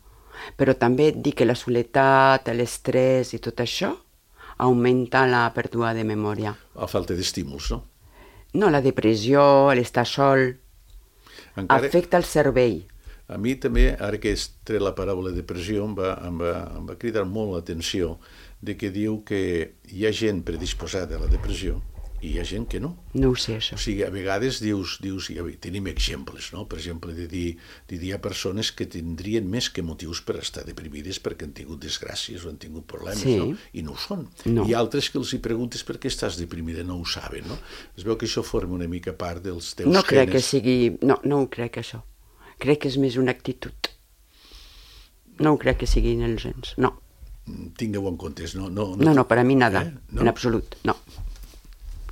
Però també et dic que la soledat, l'estrès i tot això augmenta la pèrdua de memòria. A falta d'estímuls, no? No, la depressió, l'estar sol, encara... afecta el cervell. A mi també, ara que has tret la paraula depressió, em va, em va, em va cridar molt l'atenció de que diu que hi ha gent predisposada a la depressió i hi ha gent que no. No ho sé, això. O sigui, a vegades dius, dius ja, tenim exemples, no? Per exemple, de dir, de dir hi ha persones que tindrien més que motius per estar deprimides perquè han tingut desgràcies o han tingut problemes, sí. no? I no ho són. No. I altres que els hi preguntes per què estàs deprimida, no ho saben, no? Es veu que això forma una mica part dels teus no crec genes. Que sigui... No, no ho crec, això. Crec que és més una actitud. No ho crec que siguin els gens, no. Tingueu en compte, no? No, no, no, no per a mi nada, eh? No? En absolut, no.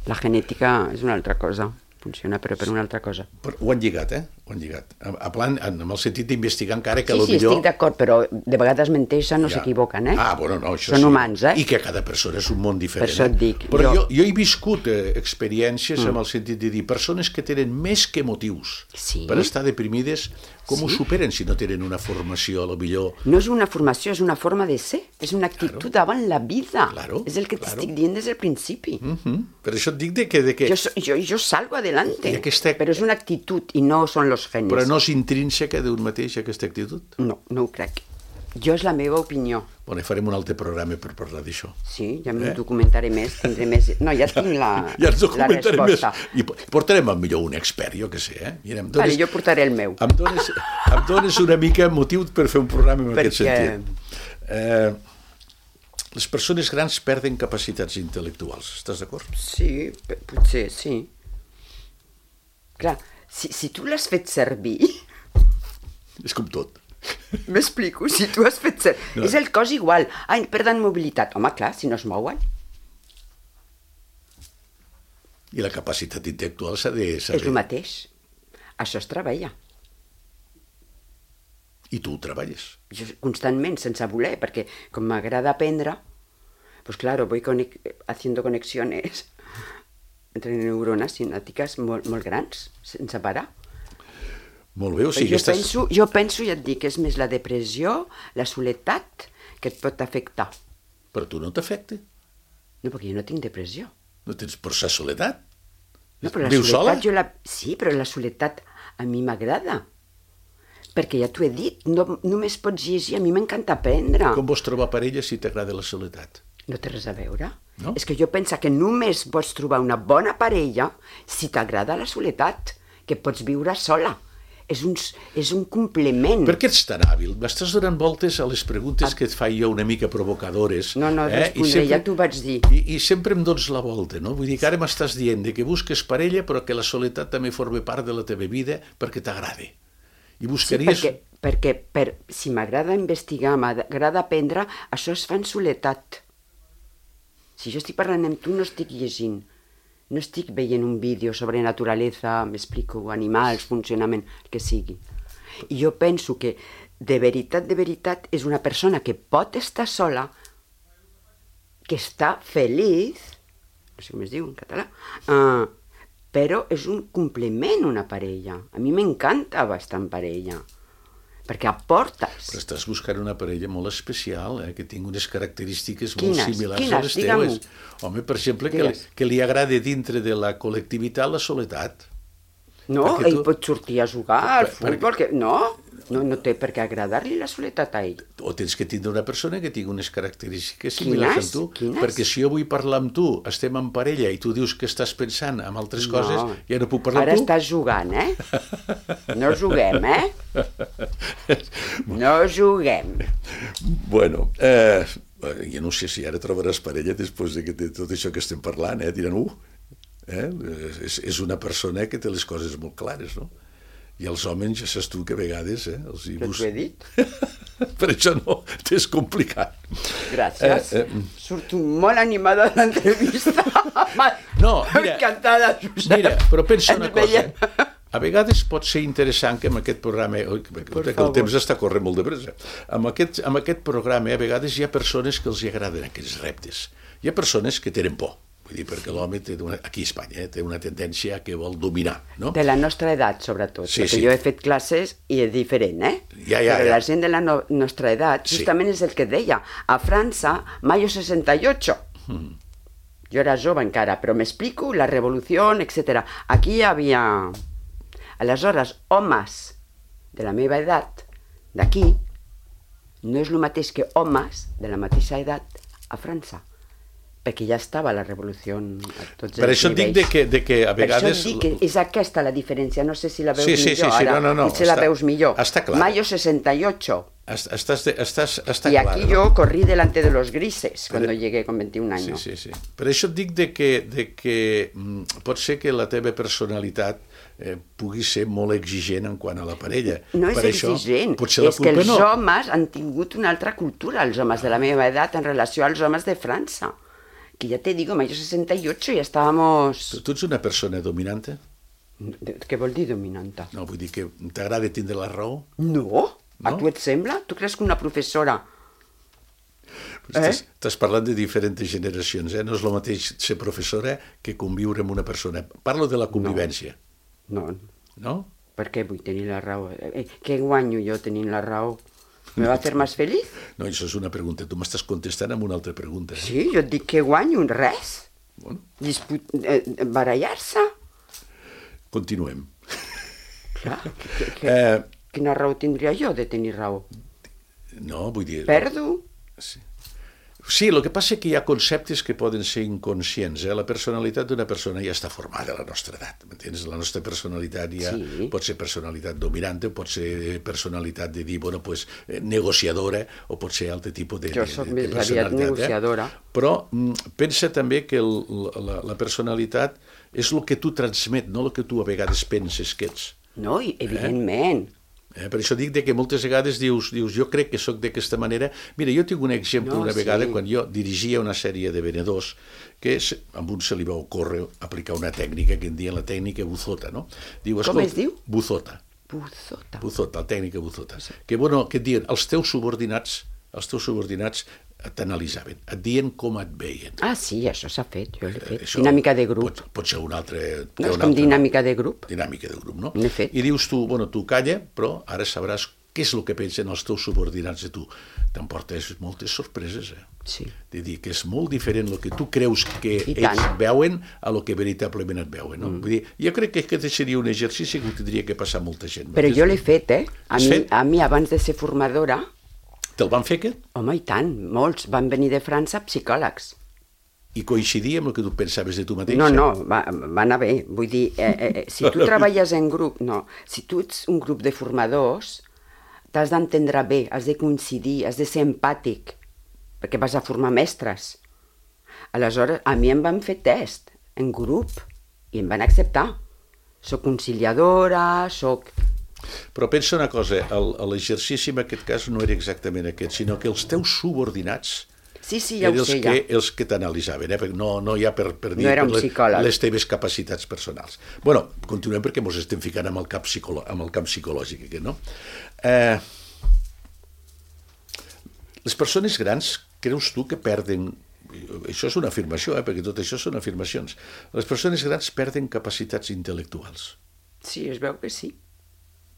La genètica és una altra cosa, funciona però per una altra cosa. Però ho han lligat, eh? Ho han lligat. A plan, en el sentit d'investigar encara que sí, sí, sí, millor... estic d'acord, però de vegades menteixen, no ja. S'equivoquen, eh? Ah, bueno, no, això són sí. Humans, eh? I que cada persona és un món diferent. Per això et dic. Eh? Però jo, jo... jo he viscut eh, experiències mm. amb el sentit de dir persones que tenen més que motius sí. per estar deprimides, com sí. ho superen si no tenen una formació, a lo millor... No és una formació, és una forma de ser. És una actitud claro. Davant la vida. Claro, és el que claro. t'estic dient des del principi. Mm-hmm. Per això et dic de que... De que... Jo, jo, jo salgo adelante, aquesta... però és una actitud i no són los genes. Però no és intrínseca d'un mateix, aquesta actitud? No, no ho crec. Jo és la meva opinió. Bueno, farem un altre programa per parlar d'això. Sí, ja m'ho eh? documentaré més, tindré més... No, ja tinc la, ja la resposta. Més. I portarem al millor un expert, jo què sé, eh? Mira, em dones, vale, jo portaré el meu. Em dones, em dones una mica motiu per fer un programa en Perquè... aquest sentit. Eh, les persones grans perden capacitats intel·lectuals, estàs d'acord? Sí, potser, sí. Clar, si, si tu l'has fet servir... És com tot. M'explico, si tu has fet servir... No. És el cos igual. Ai, perden mobilitat. Home, clar, si no es mouen. I la capacitat intel·lectual s'ha de És saber. el mateix. Això es treballa. I tu ho treballes. Jo, constantment, sense voler, perquè com m'agrada aprendre, pues claro, voy conec haciendo conexiones entre neurones sinàptiques molt, molt grans, sense parar. Molt bé, o sigui... Jo, estàs... penso, jo penso, ja et dic, és més la depressió, la soledat, que et pot afectar. Però tu no t'afecta? No, perquè jo no tinc depressió. No tens por sa soledat? No, però la Vius sola? soledat, jo la... Sí, però la soledat a mi m'agrada. Perquè ja t'ho he dit, no, només pots llegir, a mi m'encanta aprendre. Com vols trobar parella si t'agrada la soledat? No té res a veure. No? És que jo penso que només pots trobar una bona parella si t'agrada la soledat, que pots viure sola. És un, és un complement. Per què ets tan hàbil? M'estàs donant voltes a les preguntes que et faig jo una mica provocadores. No, no, eh? respondré, sempre, ja t'ho vaig dir. I, I sempre em dones la volta, no? Vull dir que ara m'estàs dient que busques parella però que la soledat també forma part de la teva vida perquè t'agrada. I buscaries... Sí, perquè, perquè per, si m'agrada investigar, m'agrada aprendre, això es fa en soledat. Si jo estic parlant amb tu, no estic llegint. No estic veient un vídeo sobre naturalesa, m'explico, animals, funcionament, el que sigui. I jo penso que, de veritat, de veritat, és una persona que pot estar sola, que està feliç, no sé com es diu en català, uh, però és un complement una parella. A mi m'encanta estar en parella, perquè aportes. Però estàs buscant una parella molt especial, eh? Que tingui unes característiques quines? molt similars Quines? a les Digue-m'ho. teues. Home, per exemple, que li, que li agrada dintre de la col·lectivitat la soledat. No, Perquè ell tu- pot sortir a jugar al Per- perquè- futbol, que... no, no, no té per què agradar-li la soledat a ell. O tens que tindre una persona que tingui unes característiques similars Quines? amb tu. Quines? Perquè si jo vull parlar amb tu, estem en parella i tu dius que estàs pensant en altres No. coses, ja no puc parlar Ara amb tu. estàs jugant, eh? No juguem, eh? No juguem. Bueno, eh, jo no sé si ara trobaràs parella després de, que, de tot això que estem parlant, eh? Diran, uh, eh? és, és una persona que té les coses molt clares, no? I els homes, ja saps tu que a vegades... Eh, els hi Però bus... t'ho he dit. Per això no, t'és complicat. Gràcies. Eh, eh, Surto molt animada de l'entrevista. No, mira, Encantada, Josep. Mira, però pensa una Ens cosa. veiem. A vegades pot ser interessant que amb aquest programa... Oi, que Per el favor. temps està corrent molt de pressa. Amb aquest, amb aquest programa, a vegades hi ha persones que els hi agraden aquests reptes. Hi ha persones que tenen por. Vull dir, perquè l'home té una, aquí a Espanya eh, té una tendència que vol dominar, no? De la nostra edat, sobretot. Sí, perquè sí. jo he fet classes i és diferent, eh? Ja, ja, Però ja. la gent de la no nostra edat, Sí. justament és el que deia. A França, mayo sesenta y ocho. Mm. Jo era jove encara, però m'explico, la revolució, etcètera. Aquí hi havia... Aleshores, homes de la meva edat, d'aquí, no és el mateix que homes de la mateixa edat a França, perquè ja estava la revolució a tots Per els això et dic nivells. de que, de que a Per això vegades... et dic que és aquesta la diferència, no sé si la veus Sí, sí, millor sí, sí, ara, no, no, no, potser la està- veus millor. està clar. Mayo sesenta y ocho. Est- Estàs, de, estàs, està Y clar, aquí no? yo corrí delante de los grises cuando Pero- llegué con veintiún Sí, años. sí, sí. Per això et dic de que, de que mm, pot ser que la teva personalitat eh, pugui ser molt exigent en quant a la parella. No és per això, exigent, potser la és que culpa els no. homes han tingut una altra cultura, els homes de la meva edat, en relació als homes de França. Que ya te digo, mayo sesenta y ocho ya estábamos... Tu, tu ets una persona dominante? Què vol dir dominanta? No, vull dir que t'agrada tindre la raó? No? A No? tu et sembla? Tu creus que una professora... Eh? Estàs, estàs parlant de diferents generacions, eh? No és el mateix ser professora que conviure amb una persona. Parlo de la convivència, No, no? per què vull tenir la raó? Eh, què guanyo jo tenint la raó? Me va fer més feliç? No, això és una pregunta. Tu m'estàs contestant amb una altra pregunta. Eh? Sí, jo et dic que guanyo res. Bueno, Disput... Eh, barallar-se. continuem. Clar, que, que, Eh, quina raó tindria jo de tenir raó? no, vull dir... Perdo? Sí. Sí, el que passa és que hi ha conceptes que poden ser inconscients. Eh? La personalitat d'una persona ja està formada a la nostra edat, m'entens? La nostra personalitat ja Sí. pot ser personalitat dominant, pot ser personalitat de dir, bueno, pues, eh, negociadora, o pot ser altre tipus de, Jo de, sóc de, més de aviat personalitat. negociadora. Eh? Però mm, pensa també que el, la, la personalitat és el que tu transmet, no el que tu a vegades penses que ets. No, i evidentment. Eh, per això dic de que moltes vegades dius, dius jo crec que sóc d'aquesta manera. Mira, jo tinc un exemple No, una sí. vegada quan jo dirigia una sèrie de venedors que és, amb un se li va ocórrer aplicar una tècnica que en diuen la tècnica Buzota, no? Diu, Com es diu? Buzota. Buzota. Buzota, la tècnica Buzota. Que, bueno, que et diuen, els teus subordinats, els teus subordinats t'analitzaven, et dien com et veien. Ah, sí, això s'ha fet, jo l'he fet. Això Dinàmica de grup. Pot, pot ser un altre... No, és un com altre dinàmica de grup. Dinàmica de grup, no? N'he fet. I dius tu, bueno, tu calla, però ara sabràs què és el que pensen els teus subordinats de tu. T'emportes moltes sorpreses, eh? Sí. De dir que és molt diferent el que tu creus que I ells tant. veuen a lo que veritablement et veuen, no? Mm. Vull dir, jo crec que aquest seria un exercici que ho tindria que passar molta gent. Però jo l'he fet, eh? A Has mi, fet? a mi, abans de ser formadora, Te'l van fer aquest? home, i tant, molts van venir de França psicòlegs. I coincidia amb el que tu pensaves de tu mateixa? No, no, va, va anar bé. Vull dir, eh, eh, si tu treballes en grup, no, si tu ets un grup de formadors, t'has d'entendre bé, has de coincidir, has de ser empàtic, perquè vas a formar mestres. Aleshores, a mi em van fer test en grup i em van acceptar. Soc conciliadora, soc... Però pensa una cosa, el- l'exercici en aquest cas no era exactament aquest, sinó que els teus subordinats Sí, sí, ja eren ho els sé, que, ja. els que t'analitzaven, eh? Perquè no, no hi ha per, per dir No era un per les, psicòleg. les teves capacitats personals. Bueno, continuem perquè ens estem ficant amb el camp, psicolo amb el camp psicològic, aquest, no? Eh, les persones grans, creus tu que perden... Això és una afirmació, eh? Perquè tot això són afirmacions. Les persones grans perden capacitats intel·lectuals. Sí, es veu que sí.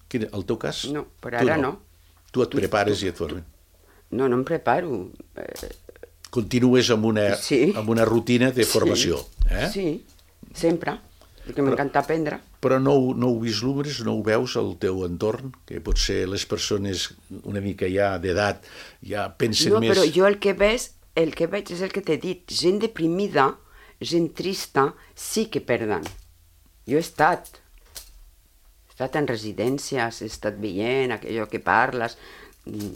Quin, el teu cas? No, per Tu ara no. Tu et prepares i et formes. No, no em preparo. Eh, Continues amb una, Sí. amb una rutina de formació. Sí, Eh? sí, sempre, perquè m'encanta aprendre. Però no, ho- no ho vislumbres, no ho veus al teu entorn, que potser les persones una mica ja d'edat ja pensen No, més... però jo el que veig, el que veig és el que t'he dit. Gent deprimida, gent trista, sí que perden. Jo he estat. He estat en residències, he estat veient allò que parles. Mm,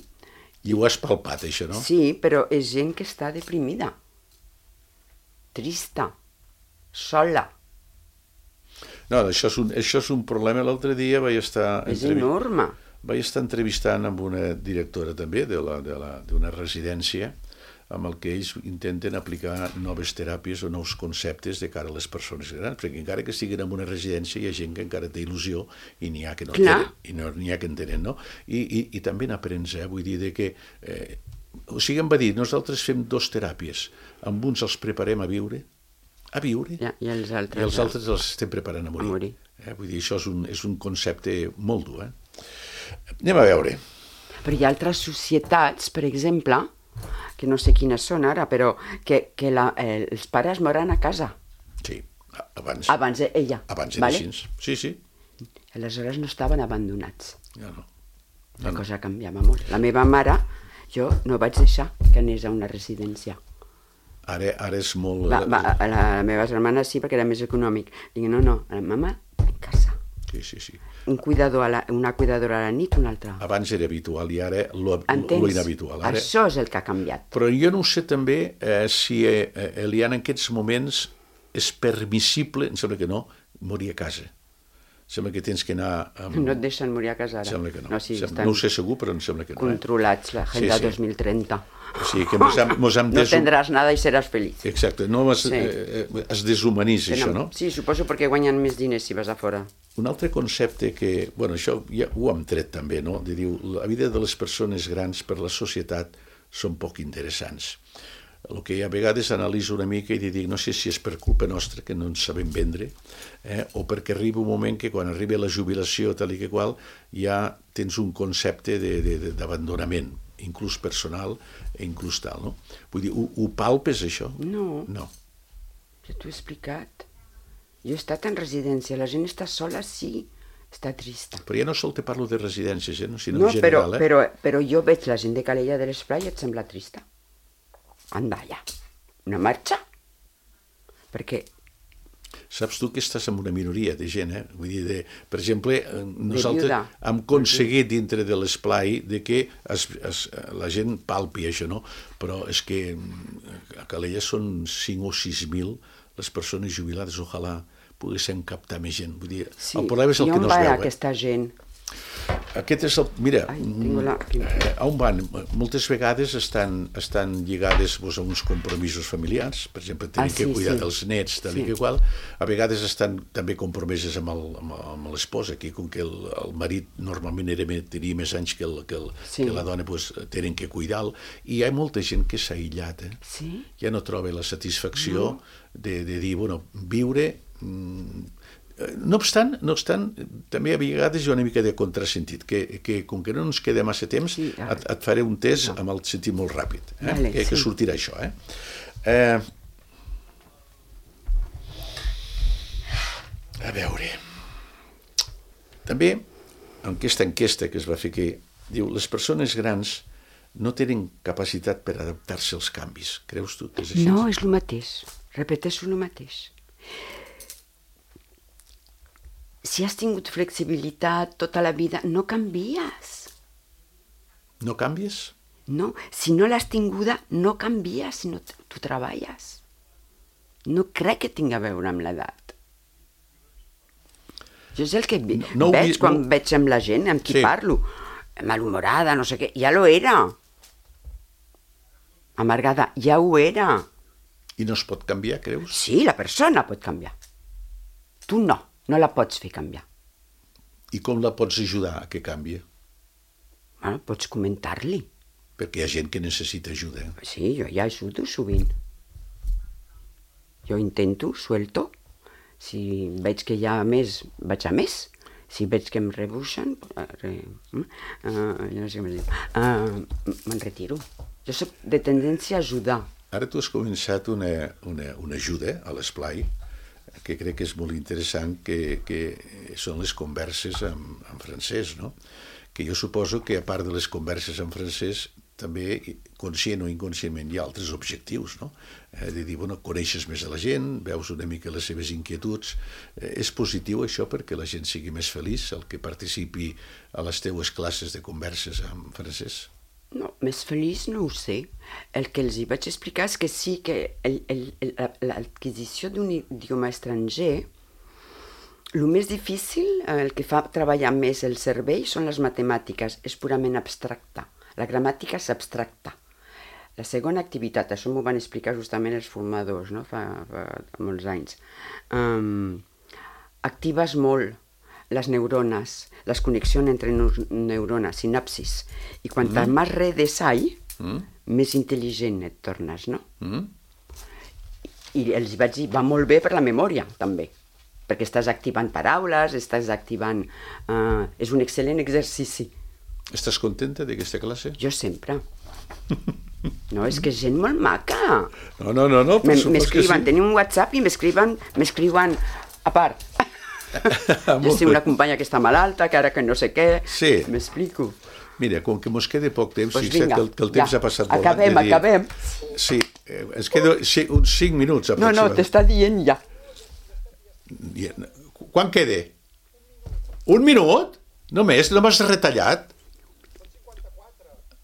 I ho has palpat, això, no? Sí, però és gent que està deprimida. Trista. Sola. No, això és un, això és un problema. L'altre dia vaig estar... És entrevi- enorme. Vaig estar entrevistant amb una directora també de la- de la- d'una residència amb el que ells intenten aplicar noves teràpies o nous conceptes de cara a les persones grans, perquè encara que estiguin en una residència hi ha gent que encara té il·lusió i n'hi ha que no Clar. tenen, i no, n'hi ha que en tenen, no? I, i, i també n'aprens, eh? Vull dir de que... Eh, o sigui, em va dir, nosaltres fem dos teràpies, amb uns els preparem a viure, a viure, Ja, i els altres, i els ja. altres els estem preparant a morir. A morir. Eh? Vull dir, això és un, és un concepte molt dur, eh? Anem a veure. Però hi ha altres societats, per exemple, que no sé quines són ara, però que, que la, eh, els pares moren a casa. Sí, abans, Abans ella. abans era vale? així. Sí, sí. Aleshores no estaven abandonats. Ja no. La cosa canviava molt. La meva mare, jo no vaig deixar que anés a una residència. Ara, ara és molt... Va, va, a la, a les meves germanes sí, perquè era més econòmic. Dic, no, no, a la mama en casa. Sí, sí, sí. Un cuidador a la, una cuidadora a la nit, una altra. Abans era habitual i ara lo, Entens? lo inhabitual. Ara... Això és el que ha canviat. Però jo no sé també eh, si, eh, Eliana, en aquests moments és permissible, em sembla que no, morir a casa. Sembla que tens que anar... Amb... No et deixen morir a casa ara. Sembla que no. No, sí, Sembla... estan no ho sé segur, però em sembla que no. controlats, l'agenda Sí, sí. dos mil trenta. O sigui que mos hem, mos hem No desu- tendràs nada i seràs feliç. Exacte, no es, Sí. eh, eh, es deshumanitza això, no? Sí, suposo perquè guanyen més diners si vas a fora. Un altre concepte que, bueno, això ja ho hem tret també, no? De diu, la vida de les persones grans per la societat són poc interessants. El que a vegades analitzo una mica i dic, no sé si és per culpa nostra, que no ens sabem vendre, eh? o perquè arriba un moment que quan arriba la jubilació tal i que qual, ja tens un concepte de- de- de- d'abandonament, inclús personal i inclús tal, no? Vull dir, ho, ho palpes, això? No. No. Ja t'ho he explicat. Jo he estat en residència, la gent està sola, sí, està trista. Però ja no sol te parlo de residències, eh? no, sinó No, en però, general. Eh? però, però jo veig la gent de Calella de l'Esplai i et sembla trista. Anda, ja. Una marxa? Perquè Saps tu que estàs en una minoria de gent, eh? Vull dir, de, per exemple, eh, nosaltres viuda. hem aconseguit dintre de l'esplai de que es, es, la gent palpi això, no? Però és que mm, a Calella són cinc o sis mil les persones jubilades, ojalà poguessin captar més gent. Vull dir, sí, el problema és el i que on no es va veu, eh? aquesta gent? Aquest és el... Mira, Ai, tinc la... eh, on van? Moltes vegades estan, estan lligades pues, a uns compromisos familiars, per exemple, tenir Ah, sí, que cuidar sí. dels nets, tal Sí. i que qual. A vegades estan també compromeses amb el- amb el- amb l'esposa, que com que el, el marit normalment era, me- tenia més anys que, el, que, el, Sí. que la dona, pues, tenen que cuidar-lo. I hi ha molta gent que s'ha aïllat, eh? Sí? Ja no troba la satisfacció no. de, de dir, bueno, viure... Mm, no obstant, no obstant, també a vegades hi ha una mica de contrasentit, que, que com que no ens queda massa temps, Sí, ah. et, et faré un test No. amb el sentit molt ràpid, eh? Vale, que, que sí. sortirà això. Eh? Eh, a veure... També, en aquesta enquesta que es va fer aquí, diu, les persones grans no tenen capacitat per adaptar-se als canvis. Creus tu que és així? No, és el mateix. Repeteixo el mateix. Si has tingut flexibilitat tota la vida, no canvies. No canvies? No, si no l'has tinguda, no canvies si no t- tu treballes. No crec que tingui a veure amb l'edat. Jo és el que vi- No- no ho veig vi- quan no- veig amb la gent amb qui Sí. parlo. Malhumorada, no sé què. Ja lo era. Amargada, ja ho era. I no es pot canviar, creus? Sí, la persona pot canviar. Tu no, no la pots fer canviar. I com la pots ajudar a que canvi? Bueno, pots comentar-li. Perquè hi ha gent que necessita ajuda. eh? Sí, jo ja ajudo sovint. Jo intento, suelto. Si veig que hi ha més, vaig a més. Si veig que em rebuixen, eh, re, uh, no sé com es diu, uh, me'n retiro. Jo soc de tendència a ajudar. Ara tu has començat una, una, una ajuda a l'esplai, que crec que és molt interessant, que, que són les converses en, en francès, no? Que jo suposo que a part de les converses en francès, també, conscient o inconscientment, hi ha altres objectius, no? Eh, de dir, bueno, coneixes més a la gent, veus una mica les seves inquietuds. Eh, és positiu això perquè la gent sigui més feliç, el que participi a les teues classes de converses en francès? No, més feliç no ho sé. El que els hi vaig explicar és que sí que el- el- el- l'adquisició d'un idioma estranger, el més difícil, el que fa treballar més el cervell, són les matemàtiques. És purament abstracta. La gramàtica és abstracta. La segona activitat, això m'ho van explicar justament els formadors, no? fa, fa molts anys. Um, actives molt les neurones, les connexions entre neu- neurones, sinapsis. I quantes mm. més redes hay, mm. més intel·ligent et tornes, no? Mm? I els vaig dir, va molt bé per la memòria, també, perquè estàs activant paraules, estàs activant... Uh, és un excel·lent exercici. Estàs contenta d'aquesta classe? Jo sempre. No, és que és gent molt maca. No, no, no, no, per Me- supòs que M'escriuen, sí. tenim un WhatsApp i m'escriuen, m'escriuen a part. Jo Molt sé bé. una companya que està malalta, que ara que no sé què, Sí. m'explico. Mira, com que mos queda poc temps, Pues fixa't vinga, que, el, que el temps ja. ha passat molt. Acabem, de dir- acabem. Sí, eh, ens queda sí, uns cinc minuts No, no, aproximadament. t'està dient ja. I- Quan queda? Un minut? Només? No m'has retallat?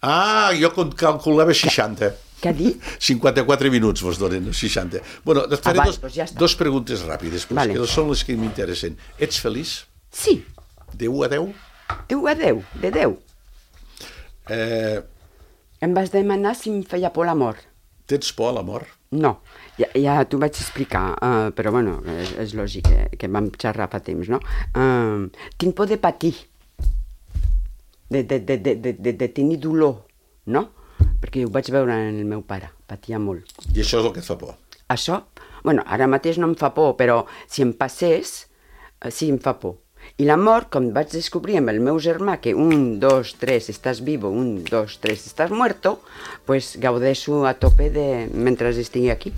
Ah, jo con- calculava seixanta. Què ha dit? cinquanta-quatre minuts vos donen, seixanta. Bueno, et faré Ah, vale, dos, doncs ja està. dos preguntes ràpides, però Vale. vale. que són les que m'interessen. Ets feliç? Sí, De u a deu? Déu a Déu, de Déu. Eh, Em vas demanar si em feia por l'amor. tens por a l'amor? No, ja, ja t'ho vaig explicar, uh, però bueno, és, és lògic que, que vam xerrar fa temps, no? Uh, tinc por de patir, de, de, de, de, de, de, de tenir dolor, no? Perquè ho vaig veure en el meu pare, patia molt. I això és el que et fa por? Això, bueno, ara mateix no em fa por, però si em passés, eh, sí em fa por. I l'amor, com vaig descobrir amb el meu germà, que un, dos, tres, estàs vivo, un, dos, tres, estàs muerto, pues gaudeixo a tope de... mentre estigui aquí.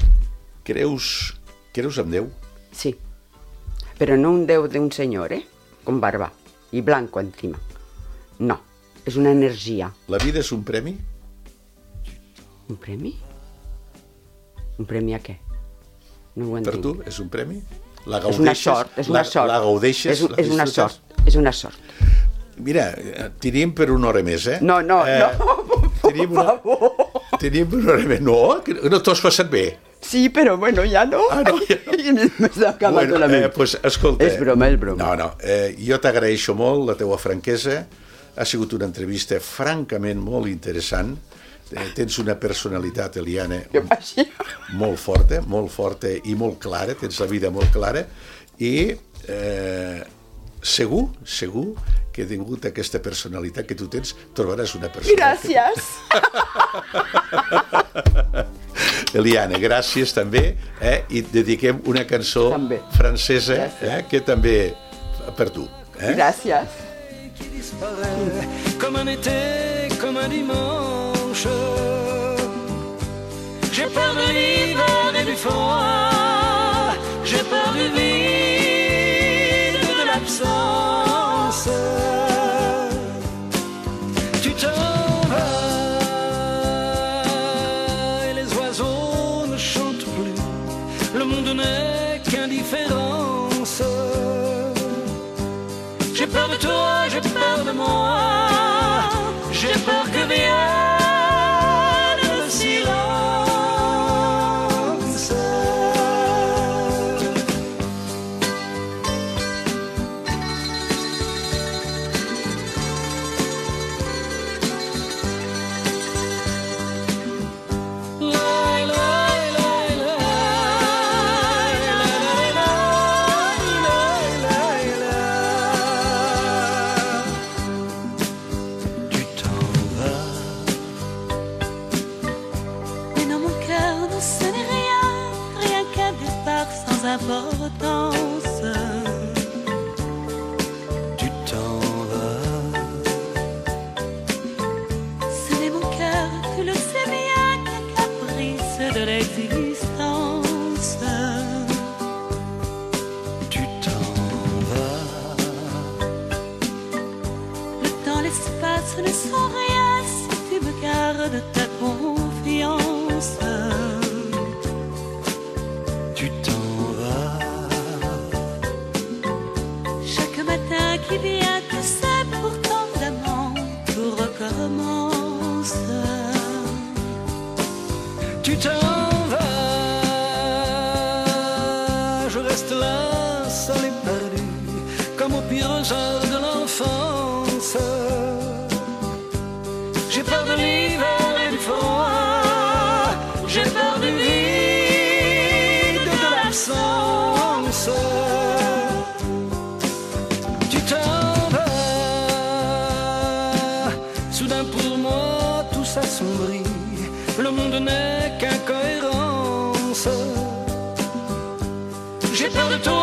Creus, creus en Déu? Sí, però no un Déu d'un senyor, eh? Con barba i blanco encima. No, és una energia. La vida és un premi? Un premi? Un premi a què? No ho entenc. Per tu és un premi? La És gaudeixes? una sort, és una la, sort. La gaudeixes? És, un- la és una disfrutes? sort, és una sort. Mira, eh, teníem per una hora més, eh? No, no, eh, no, Teníem una, teníem una hora més. No, que no t'ho has passat bé. Sí, però bueno, ja no. Ah, no, ja no. M'està acabant Bueno, la ment. eh, pues, escolta... És broma, és broma. No, no, eh, jo t'agraeixo molt la teua franquesa, Ha sigut una entrevista francament molt interessant. Eh, tens una personalitat, Eliane, molt forta, molt forta i molt clara, tens la vida molt clara, i eh, segur, segur que tingut aquesta personalitat que tu tens, trobaràs una persona... Gràcies! Que... Eliane, gràcies també, eh? I et dediquem una cançó també. francesa eh? que també per tu. Eh? Gràcies. Comme un été, comme un dimanche, j'ai peur de l'hiver et du froid, j'ai peur du vide, de l'absence. Tu t'en vas et les oiseaux ne chantent plus, le monde n'est qu'indifférence. J'ai peur de toi, j'ai peur de moi, j'ai peur que vienne le silence. Importance. Tu t'en vas. Ce n'est mon cœur, tu le sais bien, qu'un caprice de l'existence. Tu t'en vas. Le temps, l'espace ne sont rien si tu me gardes ta confiance. Tu t'en qui vient que c'est pourtant d'amant, tout recommence. Tu t'en vas, je reste là, seul et perdu, comme au pire heure de l'enfance. J'ai peur de l'hiver et du froid, j'ai peur du vide, de l'absence. S'assombrit, le monde n'est qu'incohérence. J'ai peur de toi.